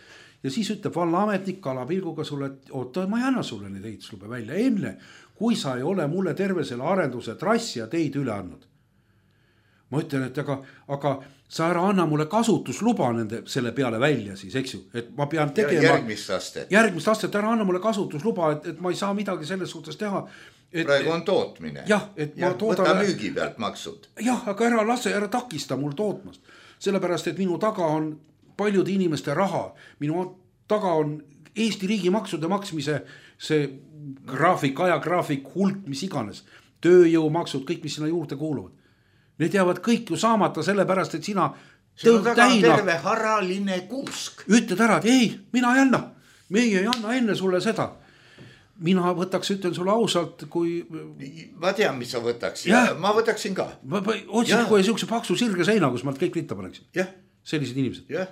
S4: Ja siis ütleb vallaametnik kalapilguga sulle, et oota, ma ei anna sulle neid ehituslube välja enne, kui sa ei ole mulle terve selle arenduse trassi ja teid üle andnud. Ma ütlen, et aga, aga sa ära anna mulle kasutusluba nende selle peale välja siis, eks ju, et ma pean tegema
S3: järgmist astet.
S4: Järgmist astet, ära anna mulle kasutusluba, et, et ma ei saa midagi selles suhtes teha. Et,
S3: praegu on tootmine.
S4: Jah, et
S3: ja,
S4: ma toodan.
S3: Võta müügi pealt maksud.
S4: Jah, aga ära lase, ära takista mul tootmast. Sellepärast, et minu taga on paljude inimeste raha. Minu taga on Eesti riigi maksude maksmise see graafik, ajagraafik, hulk, mis iganes. Tööjõumaksud, kõik, mis sinna juurde kuuluvad. Need jäävad kõik ju saamata sellepärast, et sina
S3: sinu taga on terve haraline kuusk.
S4: Ütled ära, et ei, mina ei anna. Meie ei anna enne sulle seda. Mina võtaks, ütlen sulle ausalt, kui...
S3: Ma tean, mis sa võtaks. Ja. Ja ma võtaksin ka.
S4: Ma otsin kohe siukse paksu sirge seina, kus ma kõik ritta paneksin.
S3: Ja.
S4: Sellised inimesed.
S3: Ja.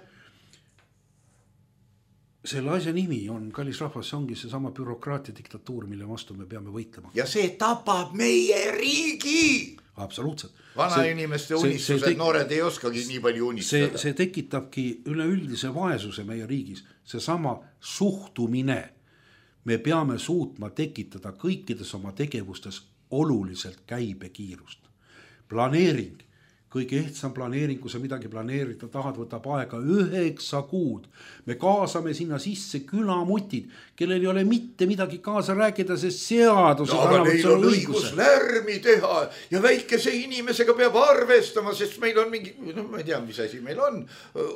S4: Selle asja nimi on, kallis rahvas, see ongi see sama bürokraatia diktatuur, mille vastu me peame võitlema.
S3: Ja see tapab meie riigi!
S4: Absoluutselt.
S3: Vana see, inimeste unistused, tek... noored ei oskagi nii palju unistada.
S4: See, see tekitabki üleüldise vaesuse meie riigis. See sama suhtumine. Me peame suutma tekitada kõikides oma tegevustes oluliselt käibekiirust. Planeering, kõige ehtsam planeering, kui sa midagi planeerida tahad, võtab aega üheksa kuud. Me kaasame sinna sisse külamutid, kellel ei ole mitte midagi kaasa rääkida, sest seadus
S3: no, aga neil on õigus lärmi teha ja väikese inimesega peab arvestama, sest meil on mingi, no ma ei tea, mis asi meil on,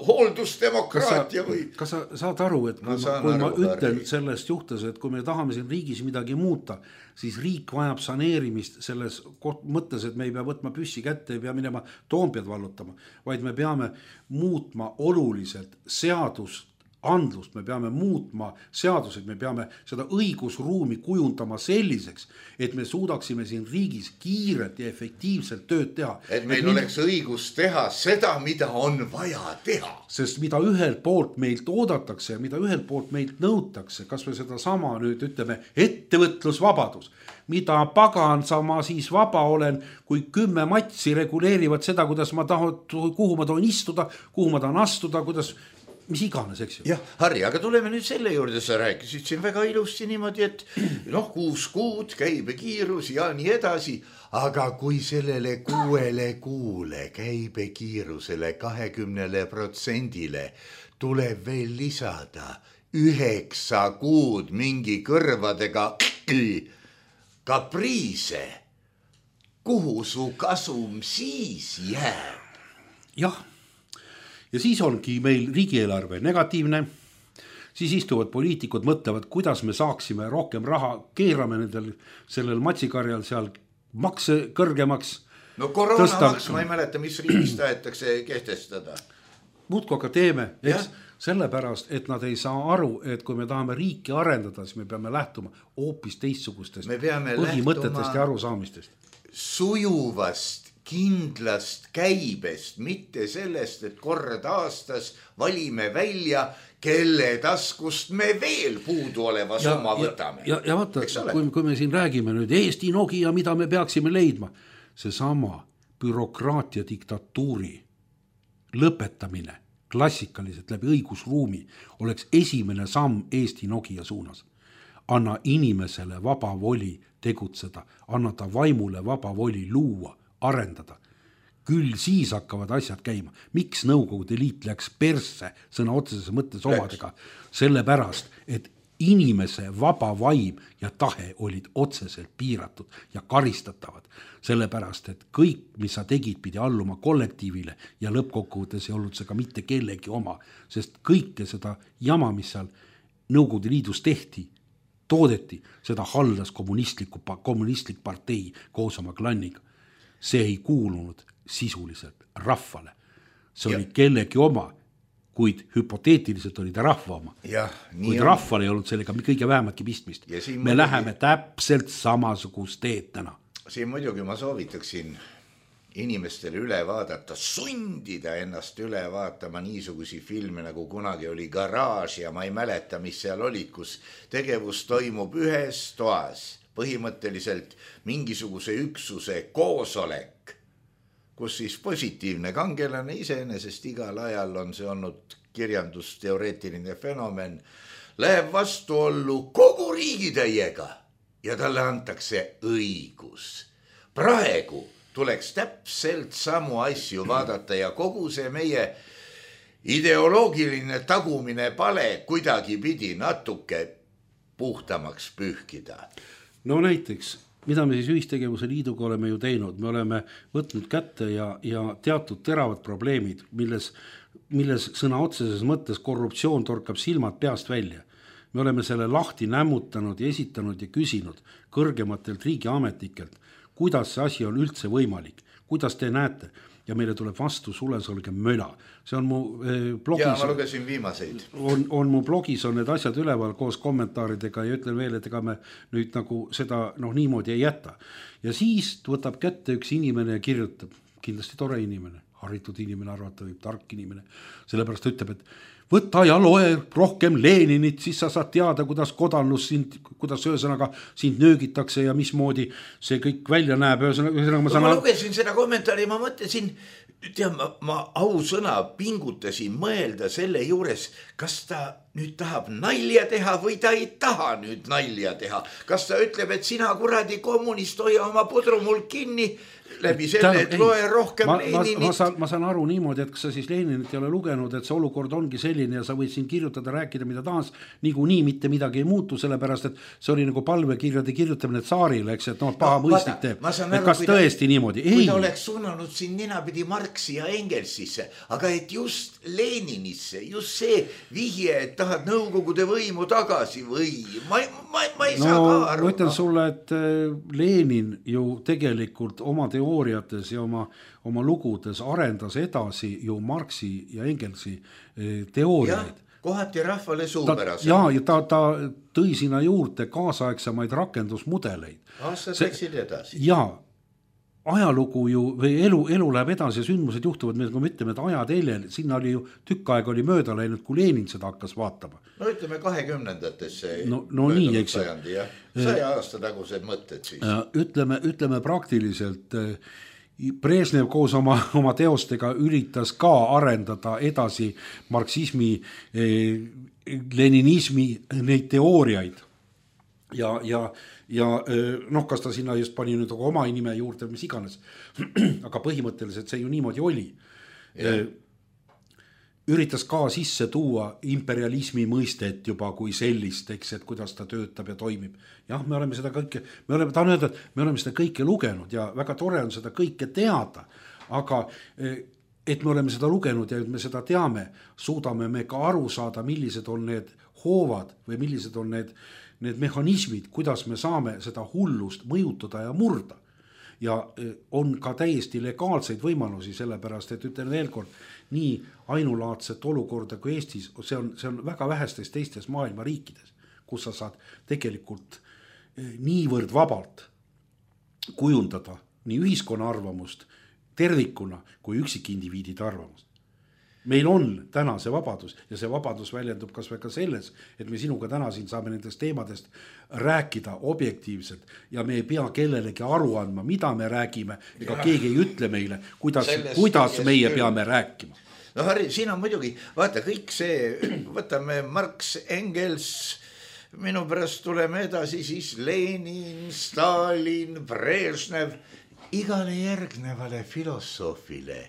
S3: hooldusdemokraatia või...
S4: Kas sa saad aru, et kui, ma, kui aru, ma ütlen arvi. Sellest juhtes, et kui me tahame siin riigis midagi muuta, siis riik vajab saneerimist selles mõttes, et me ei pea võtma püssi kätte, ei pea minema Toompead vallutama, vaid me peame muutma oluliselt seadust, andlust, me peame muutma seadused, me peame seda õigusruumi kujundama selliseks, et me suudaksime siin riigis kiirelt ja efektiivselt tööd teha.
S3: Et meil et oleks mind... õigus teha seda, mida on vaja teha.
S4: Sest mida ühelt poolt meilt oodatakse ja mida ühelt poolt meilt nõutakse, kas või seda sama nüüd ütleme ettevõtlusvabadus, mida pagan sa ma siis vaba olen, kui kümme matsi reguleerivad seda, kuidas ma tahan, kuhu ma tohin istuda, kuhu ma tahan astuda, kuidas mis iganes, eks ju.
S3: Jah, Harri, aga tuleme nüüd selle juurde, sa rääkisid siin väga ilusti niimoodi, et noh, kuus kuud, käibekiirus ja nii edasi, aga kui sellele kuuele kuule käibekiirusele kahekümnele protsendile tuleb veel lisada üheksa kuud mingi kõrvadega kapriise, kuhu su kasum siis jääb?
S4: Jah. Ja siis ongi meil riigieelarve negatiivne, siis istuvad poliitikud, mõtlevad, kuidas me saaksime rohkem raha, keerame nendel sellel matsikarjal seal makse kõrgemaks.
S3: No koroonamaks, ma ei mäleta, mis riigis tahetakse kehtestada.
S4: Muudku aga teeme, eks, sellepärast, et nad ei saa aru, et kui me tahame riiki arendada, siis me peame lähtuma hoopis teistsugustest põhimõtetest ja arusaamistest.
S3: Sujuvast kindlast käibest, mitte sellest, et kord aastas valime välja, kelle taskust me veel puudu oleva summa võtame.
S4: Ja, ja, ja vaata, kui, kui me siin räägime nüüd Eesti Nokia, mida me peaksime leidma, see sama bürokraatia diktatuuri lõpetamine klassikaliselt läbi õigusruumi oleks esimene samm Eesti Nokia suunas. Anna inimesele vaba voli tegutseda, anna ta vaimule vaba voli luua, arendada. Küll siis hakkavad asjad käima. Miks Nõukogude Liit läks persse sõna otseses mõttes omadega? Sellepärast, et inimese vaba vaim ja tahe olid otseselt piiratud ja karistatavad. Sellepärast, et kõik, mis sa tegid, pidi alluma kollektiivile ja lõppkokkuvõttes ei olnud see ka mitte kellegi oma. Sest kõike seda jama, mis seal Nõukogude Liidus tehti, toodeti, seda haldas kommunistlik, kommunistlik partei koos oma klanniga. See ei kuulunud sisuliselt rahvale. See ja. Oli kellegi oma, kuid hüpoteetiliselt oli ta rahva oma.
S3: Ja,
S4: kuid on. Rahval ei olnud sellega kõige vähematki pistmist. Me muidugi... läheme täpselt samasugust teed täna.
S3: Siin muidugi ma soovitaksin inimestele üle vaadata, sundida ennast üle vaatama niisugusi filme, nagu kunagi oli Garaaž ja ma ei mäleta, mis seal olid, kus tegevus toimub ühes toas, põhimõtteliselt mingisuguse üksuse koosolek, kus siis positiivne kangelane iseenesest igal ajal on see olnud kirjandusteoreetiline fenomen, läheb vastuollu kogu riigitäiega ja talle antakse õigus. Praegu tuleks täpselt samu asju vaadata ja kogu see meie ideoloogiline tagumine pale kuidagi pidi natuke puhtamaks pühkida.
S4: No näiteks, mida me siis ühistegevuse liiduga oleme ju teinud, me oleme võtnud kätte ja, ja teatud teravad probleemid, milles, milles sõna otseses mõttes korruptsioon torkab silmad peast välja. Me oleme selle lahti nämmutanud ja esitanud ja küsinud kõrgematelt riigiametnikelt, kuidas see asi on üldse võimalik, kuidas te näete ja meile tuleb vastu sulesolge möla. See on mu eh, blogis.
S3: Ja ma lugesin viimaseid.
S4: On, on mu blogis on need asjad üleval koos kommentaaridega ja ütlen veel, et ega me nüüd nagu seda noh, niimoodi ei jäta. Ja siis võtab kätte üks inimene ja kirjutab, kindlasti tore inimene, haritud inimene, arvata võib, tark inimene, sellepärast ütleb, et võta ja loe rohkem Leninit, siis sa saad teada, kuidas kodannus sind, kuidas ühesõnaga sind nöögitakse ja mismoodi see kõik välja näeb. Ühesõnaga, ma,
S3: ma lugesin seda kommentaari, ma mõtlesin, tead, ma, ma ausõna pingutasin mõelda selle juures, kas ta nüüd tahab nalja teha või ta ei taha nüüd nalja teha. Kas ta ütleb, et sina kuradi kommunist hoia oma pudru mul kinni läbi selle, et loe rohkem
S4: ma,
S3: Leninit.
S4: Ma, ma, saan, ma saan aru niimoodi, et kas sa siis Leninit ei ole lugenud, et see olukord ongi selline ja sa võid siin kirjutada, rääkida mida taas, niigu nii mitte midagi ei muutu, sellepärast, et see oli nagu palvekirjade kirjutamine tsaarile, eks, et noh, paha no, mõistik teeb. Et kas kui tõesti ta, niimoodi? Ei.
S3: Kui ta oleks suunanud siin ninapidi Marxi ja Engelsisse, aga et just Leninisse, just see vihje, et tahad nõukogude võimu tagasi või ma, ma, ma ei no, saa ka aru.
S4: Ma ütlen sulle, et Lenin ju tegelikult oma teooriates ja oma, oma lugudes arendas edasi ju Marxi ja Engelsi teooriaid.
S3: Ja, kohati rahvale suupärase.
S4: Ja, ja ta, ta tõi sinna juurde kaasaegsemaid rakendusmudeleid.
S3: Aastad läksid edasi.
S4: Ja ajalugu ju või elu, elu läheb edasi ja sündmused juhtuvad, kui me ütleme, et ajateljel, sinna oli ju tükk aeg oli mööda läinud, kui Lenin seda hakkas vaatama.
S3: No ütleme kahekümnendatesse
S4: no, no nii, eks.
S3: sajandi, jah. Saja aasta tagused mõtted siis.
S4: Ütleme, ütleme praktiliselt Brežnev koos oma, oma teostega üritas ka arendada edasi marksismi, leninismi neid teooriaid. Ja, ja, ja noh, kas ta sinna just pani nüüd oma nime juurde, mis iganes. Aga põhimõtteliselt see ju niimoodi oli. Yeah. Üritas ka sisse tuua imperialismi mõistet juba kui sellist, eks, et kuidas ta töötab ja toimib. Jah, me oleme seda kõike, me oleme, tahan öelda, et me oleme seda kõike lugenud ja väga tore on seda kõike teada, aga et me oleme seda lugenud ja et me seda teame, suudame me ka aru saada, millised on need hoovad või millised on need need mehhanismid, kuidas me saame seda hullust mõjutada ja murda. Ja on ka täiesti legaalseid võimalusi, sellepärast, et ütlen veel kord, nii ainulaadset olukorda kui Eestis, see on, see on väga vähestes teistes maailma riikides, kus sa saad tegelikult niivõrd vabalt kujundada nii ühiskonna arvamust tervikuna kui üksikindiviidide arvamust. Meil on täna see vabadus ja see vabadus väljendub kas või ka selles, et me sinuga täna siin saame nendest teemadest rääkida objektiivselt ja me ei pea kellelegi aru andma, mida me räägime, ega ja. Keegi ei ütle meile, kuidas, kuidas meie küll. Peame rääkima.
S3: No Harri, siin on muidugi, vaata kõik see, võtame Marx, Engels, minu pärast tuleme edasi siis Lenin, Stalin, Brežnev, igale järgnevale filosoofile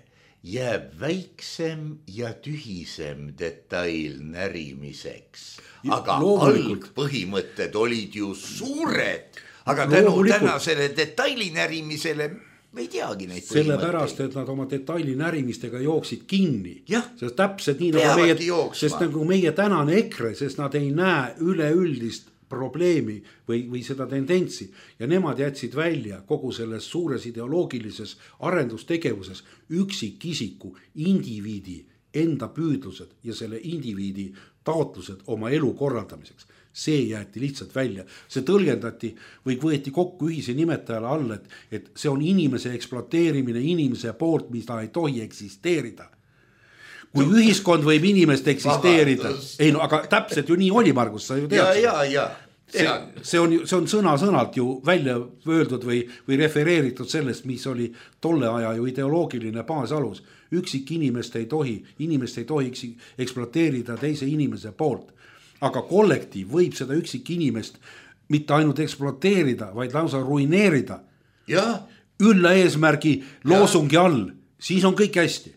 S3: jääb väiksem ja tühisem detail närimiseks. Aga algpõhimõtted olid ju suured, aga tänu tänasele detaili närimisele me ei teagi neid põhimõtteid.
S4: Sellepärast, et nad oma detaili närimistega jooksid kinni.
S3: Jah,
S4: sest täpselt nii nagu meie, sest nagu meie tänane EKRE, sest nad ei näe üleüldist probleemi või, või seda tendentsi ja nemad jätsid välja kogu selles suures ideoloogilises arendustegevuses üksikisiku, indiviidi enda püüdlused ja selle indiviidi taotlused oma elu korraldamiseks. see jäeti lihtsalt välja, see tõlgendati või võeti kokku ühise nimetajale all, et, et see on inimese ekspluateerimine inimese poolt, mis ta ei tohi eksisteerida. Kui ühiskond võib inimest eksisteerida, ei no aga täpselt ju nii oli, Margus, sa ju tead.
S3: Ja, ja, ja.
S4: See, see, on, see on sõna-sõnalt ju välja öeldud või, või refereeritud sellest, mis oli tolle aja ju ideoloogiline baasalus. Üksik inimest ei tohi, inimest ei tohi ekspluateerida teise inimese poolt. Aga kollektiiv võib seda üksik inimest mitte ainult ekspluateerida, vaid lausa ruineerida.
S3: Ja.
S4: Ülla eesmärgi loosungi all, siis on kõik hästi.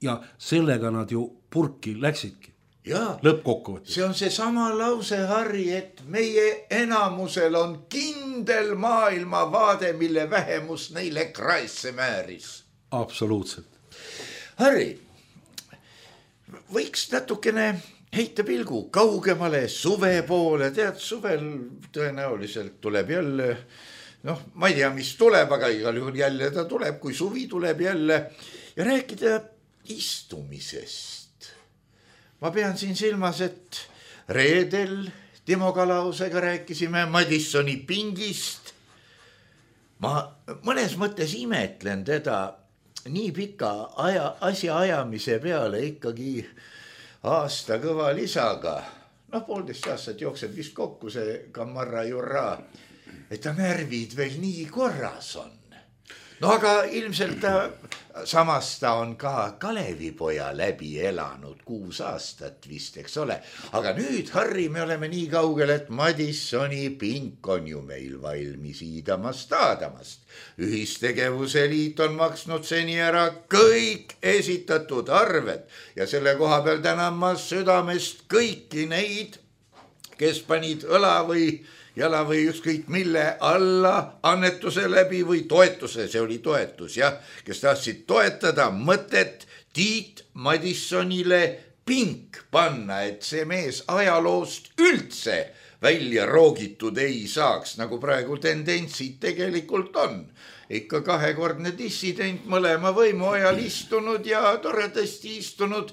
S4: Ja sellega nad ju purki läksidki.
S3: Ja,
S4: lõppkokkuvõttes.
S3: See on see sama lause, Harri, et meie enamusel on kindel maailmavaade, mille vähemus neile kraesse määris.
S4: Absoluutselt.
S3: Harri, võiks natukene heita pilgu kaugemale suve poole. Tead, suvel tõenäoliselt tuleb jälle, noh, ma ei tea, mis tuleb, aga igal juhul jälle ta tuleb, kui suvi tuleb jälle ja rääkida istumisest. Ma pean siin silmas, et reedel Timo Kalausega rääkisime Madissoni pingist. Ma mõnes mõttes imetlen teda nii pika aja, asja ajamise peale ikkagi aasta kõva lisaga. No poolteist aastat jookseb vist kokku see Kamarra Jurra, et ta närvid veel nii korras on. No aga ilmselt ta, samas ta on ka Kalevipoja läbi elanud kuus aastat vist, eks ole. Aga nüüd, Harri, me oleme nii kaugel, et Madissoni pink on ju meil valmis iidamast aadamast. Ühistegevuse liit on maksnud seni ära kõik esitatud arved ja selle koha peal tänan ma südamest kõiki neid, kes panid õla või jala või ükskõik mille alla annetuse läbi või toetuse, see oli toetus, jah, kes tahtsid toetada mõtet Tiit Madissonile pink panna, et see mees ajaloost üldse välja roogitud ei saaks, nagu praegu tendentsid tegelikult on. Ikka kahekordne dissident mõlema võimu ajal istunud ja toredasti istunud.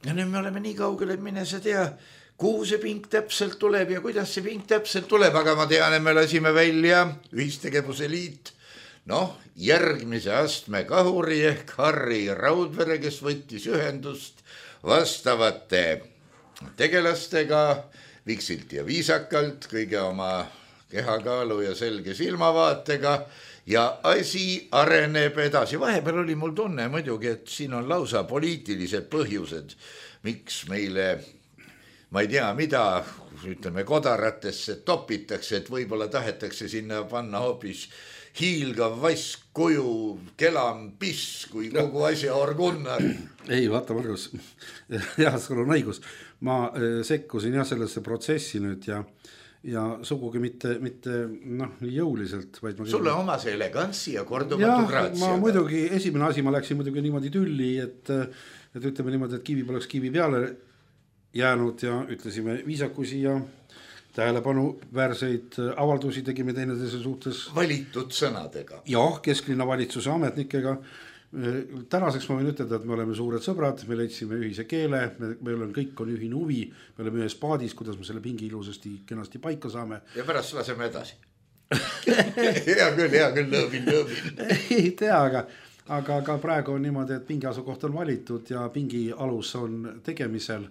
S3: Ja nüüd me oleme nii kaugel, et mine sa tea, kuhu see pink täpselt tuleb ja kuidas see pink täpselt tuleb, aga ma tean, et me lasime välja Ühistegevuse liit, noh, järgmise astme kahuri ehk Harri Raudvere, kes võttis ühendust vastavate tegelastega viksilt ja viisakalt, kõige oma kehakaalu ja selge silmavaatega ja asi areneb edasi. Vahepeal oli mul tunne muidugi, et siin on lausa poliitilised põhjused, miks meile ma ei tea, mida, ütleme, kodaratesse topitakse, et võib-olla tahetakse sinna panna hoopis hiilgav vask kuju, kelam piss, kui kogu asja orgunnar.
S4: Ei, vaata, Margus, jah, sul on õigus. Ma sekkusin jah sellesse protsessi nüüd ja, ja sugugi mitte, mitte noh, nii jõuliselt. Vaid ma
S3: sulle oma see elegantsi ja kordumatu graatsi.
S4: Ma muidugi, esimene asi, ma läksin muidugi niimoodi tülli, et, et ütleme niimoodi, et kivi poleks kivi peale jäänud ja ütlesime viisakusi ja tähelepanu väärseid avaldusi tegime teineteise suhtes.
S3: Valitud sõnadega.
S4: Jah, kesklinna valitsuse ametnikega. Tänaseks ma võin ütelda, et me oleme suured sõbrad, me leidsime ühise keele, me, meil on kõik on ühine huvi, me oleme ühes paadis, kuidas me selle pingi ilusasti kenasti paika saame.
S3: Ja pärast laseme edasi. hea küll, hea küll, lõõbin, lõõbin.
S4: Ei tea, aga aga ka praegu on niimoodi, et pingi asukoht on valitud ja pingi alus on tegemisel.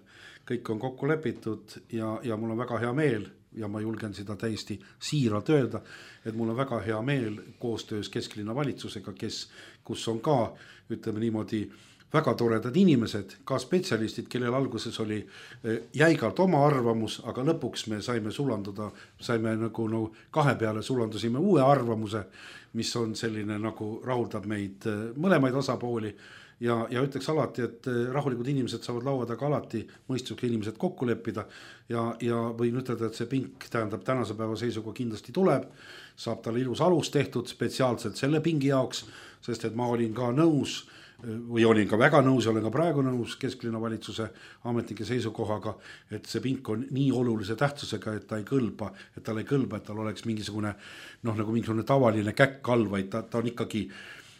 S4: Kõik on kokku lepitud ja, ja mul on väga hea meel ja ma julgen seda täiesti siiralt öelda, et mul on väga hea meel koostöös kesklinna valitsusega, kes, kus on ka, ütleme niimoodi, väga toredad inimesed, ka spetsialistid, kellel alguses oli jäigalt oma arvamus, aga lõpuks me saime sulanduda, saime nagu no, kahe peale sulandusime uue arvamuse, mis on selline nagu rahuldab meid mõlemaid osapooli. Ja, ja ütleks alati, et rahulikud inimesed saavad laua taga alati mõistusega inimesed kokku leppida ja, ja võin ütelda, et see pink tähendab tänase päeva seisuga kindlasti tuleb, saab talle ilus alus tehtud spetsiaalselt selle pingi jaoks, sest et ma olin ka nõus või olin ka väga nõus, olen ka praegu nõus kesklinna valitsuse ametnike seisukohaga, et see pink on nii olulise tähtsusega, et ta ei kõlba, et tal ei kõlba, et tal oleks mingisugune, noh nagu mingisugune tavaline käkk all, vaid ta, ta on ikkagi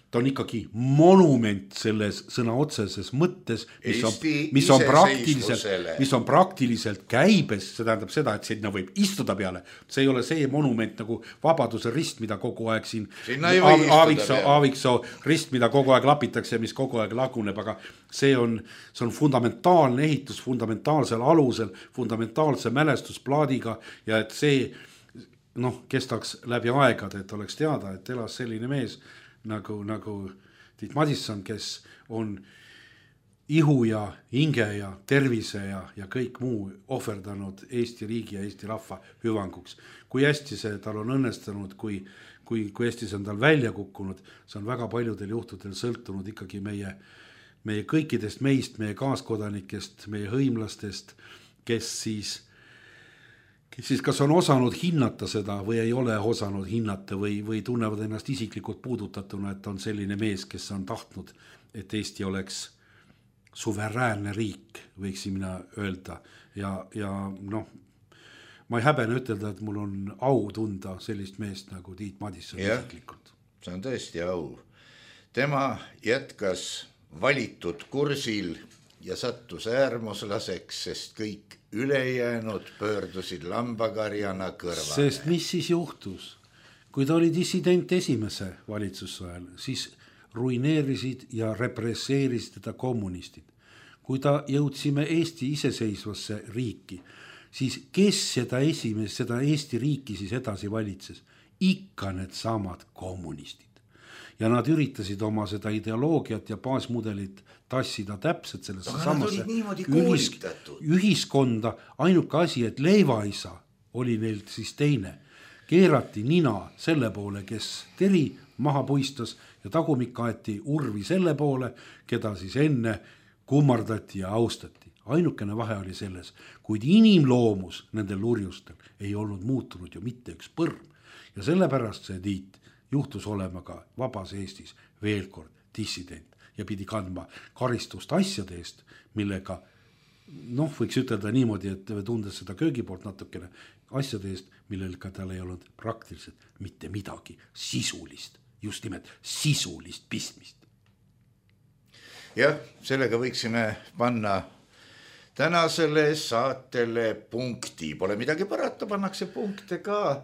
S4: ta on ikkagi monument selles sõna otseses mõttes, mis on, mis on praktiliselt, mis on praktiliselt käibes, see tähendab seda, et sinna võib istuda peale. See ei ole see monument nagu Vabaduse rist, mida kogu aeg siin Aaviksoo, Aaviksoo rist, mida kogu aeg lapitakse ja mis kogu aeg laguneb, aga see on, see on fundamentaalne ehitus, fundamentaalsel alusel, fundamentaalse mälestusplaadiga ja et see noh, kestaks läbi aegade, et oleks teada, et elas selline mees nagu, nagu Tiit Madisson, kes on ihu ja hinge ja tervise ja, ja kõik muu ohverdanud Eesti riigi ja Eesti rahva hüvanguks. Kui hästi see tal on õnnestunud, kui, kui, kui hästi see on tal välja kukkunud, see on väga paljudel juhtudel sõltunud ikkagi meie, meie kõikidest meist, meie kaaskodanikest, meie hõimlastest, kes siis siis kas on osanud hinnata seda või ei ole osanud hinnata või, või tunnevad ennast isiklikult puudutatuna, et on selline mees, kes on tahtnud, et Eesti oleks suveräänne riik, võiksin mina öelda. Ja, ja noh, ma ei häbene ütelda, et mul on au tunda sellist meest nagu Tiit Madisson ja, isiklikult.
S3: See on tõesti au. Tema jätkas valitud kursil ja sattus äärmuslaseks, sest kõik ülejäänud pöördusid lambakarjana kõrvale.
S4: Sest mis siis juhtus? Kui ta oli dissident esimese valitsusajal, siis ruineerisid ja represseerisid teda kommunistid. Kui ta jõudsime Eesti iseseisvasse riiki, siis kes seda esimest, seda Eesti riiki siis edasi valitses? Ikka need samad kommunistid. Ja nad üritasid oma seda ideoloogiat ja baasmudelit tassida täpselt sellesse samasse ühis, ühiskonda. Ainuke asi, et leivaisa oli neilt siis teine. Keerati nina selle poole, kes teri maha puistas ja tagumik aeti urvi selle poole, keda siis enne kummardati ja austati. Ainukene vahe oli selles, kuid inimloomus nendel lurjustel ei olnud muutunud ju mitte üks põrm. Ja sellepärast see Tiit juhtus olema ka vabas Eestis veel kord dissident ja pidi kandma karistust asjade eest, millega, noh, võiks ütelda niimoodi, et tundes seda köögi poolt natukene, asjade eest, millel ka tal ei olnud praktiliselt mitte midagi sisulist, just nimelt sisulist pistmist.
S3: Jah, sellega võiksime panna tänasele saatele punkti. Pole midagi parata, pannakse punkte ka.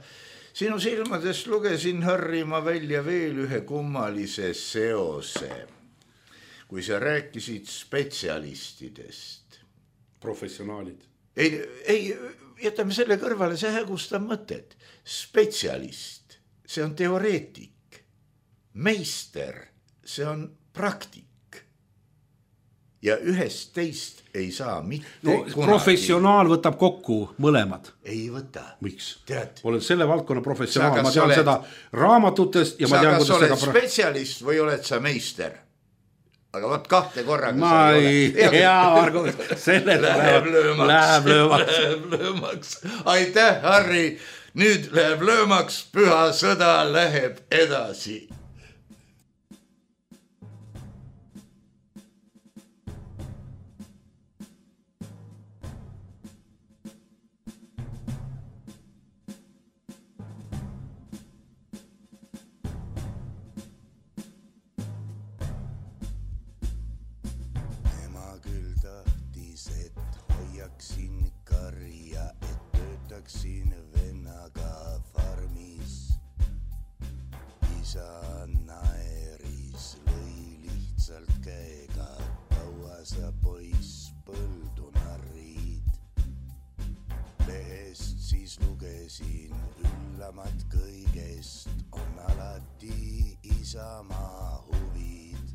S3: Sinu silmadest lugesin, Harri, ma välja veel ühe kummalise seose. Kui sa rääkisid spetsialistidest.
S4: Professionaalid.
S3: Ei, ei, jätame selle kõrvale, see hägustab mõtet. Spetsialist, see on teoreetik. Meister, see on praktik. Ja ühest teist ei saa mitte
S4: no, kunagi. Professionaal võtab kokku mõlemad.
S3: Ei võta.
S4: Miks?
S3: Tead.
S4: Olen selle valdkonna professionaal, ma tean oled, seda raamatutest ja ma tean,
S3: kuidas oled seda spetsialist või oled sa meister? Aga võt kahte korraga
S4: ma ei, hea Margo, selle
S3: läheb löömaks.
S4: Läheb löömaks.
S3: Läheb löömaks. Aitäh, Harri. Nüüd läheb löömaks, püha sõda läheb edasi.
S5: Siin vennaga farmis isa naeris lõi lihtsalt käega, kaua sa poiss põldu narrid. Lehest siis lugesin üllamat kõigest on alati isamaa huvid.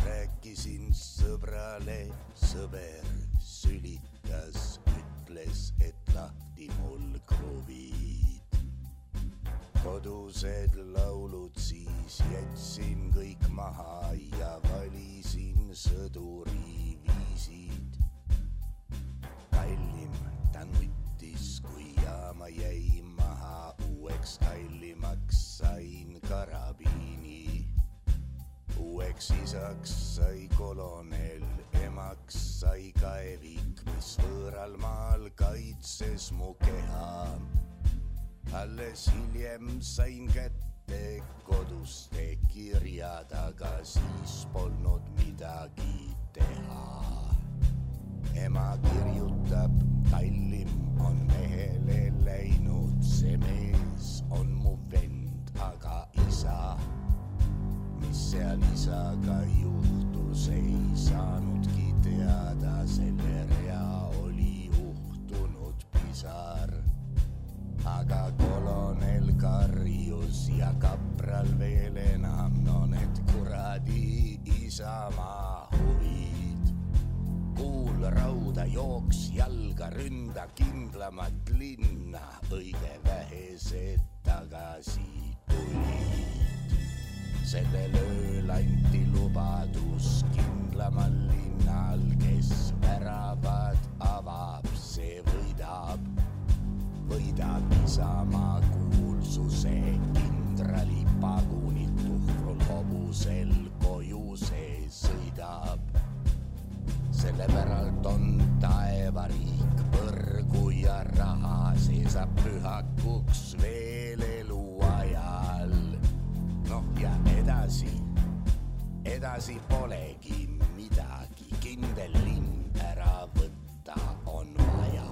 S5: Rääkisin sõbrale, sõber sülitas, ütles, et lahti mul kruvid. Kodused laulud siis jätsin kõik maha ja valisin sõduri viisid. Kallim ta nuttis, kui jaama jäi maha, uueks kallimaks sain karabiini. Uueks isaks sai kolonel, emaks sai kaevik, mis võõral maal kaitses mu keha. Alles hiljem sain kätte kätte koduste kirjad, aga siis polnud midagi teha. Ema kirjutab, kallim on mehele läinud, see mees on mu vend, aga isa, mis seal isaga juhtus, ei saanudki teada, selle rea oli uhtunud pisar. Aga kolonel karjus ja kapral veel enam, no need kuradi isamaa huvid. Kuul rauda jooks jalga, ründa kindlamat linna, õige vähesed tagasi tulid. Sellel ööl anti lubadus kindlamal linnal, kes väravad avab, see võidab. Võidab isamaa kuulsuse, kindrali pagunit tuhrul hobusel koju see sõidab. Selle päralt on taevariik, põrgu ja raha, see saab pühakuks veel eluajal. Noh ja edasi, edasi polegi midagi, kindel linn ära võtta on vaja.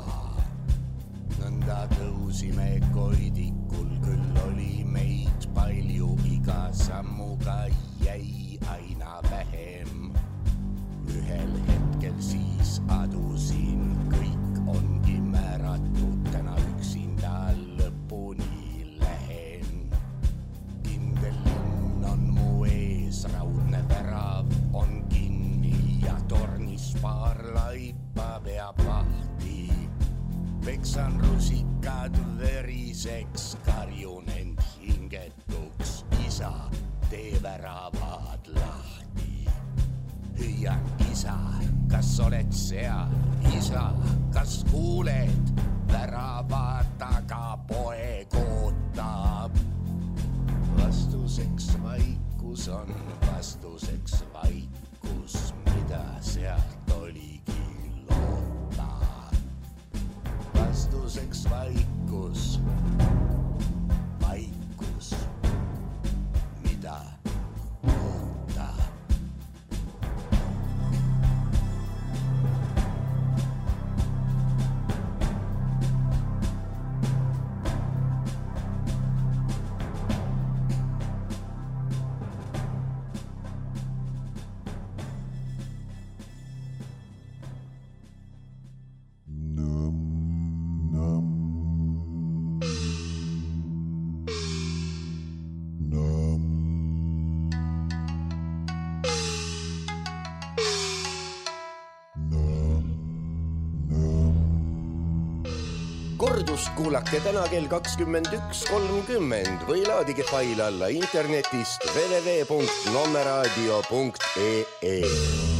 S5: Nõnda tõusime koidikul, küll oli meid palju, iga sammuga jäi aina vähem. Ühel hetkel siis adusin, kõik ongi määratud, täna üksinda lõpuni lähen. Kindel linn on mu ees, raudne värav on kinni ja tornis paar laipa peab vahti. Peksan rusikad veriseks, karjun end hingetuks, isa, tee väravad lahti. Hüüan, isa, kas oled seal? Isa, kas kuuled? Värava taga poeg ootab. Vastuseks vaikus on, vastuseks vaikus, mida sealt oligi loota. Vastuseks vaikus, vaikus, mida oota.
S6: Kordust kuulake täna kell kakskümmend üks kolmkümmend või laadige fail alla internetist w w w punkt nommeraadio punkt e e.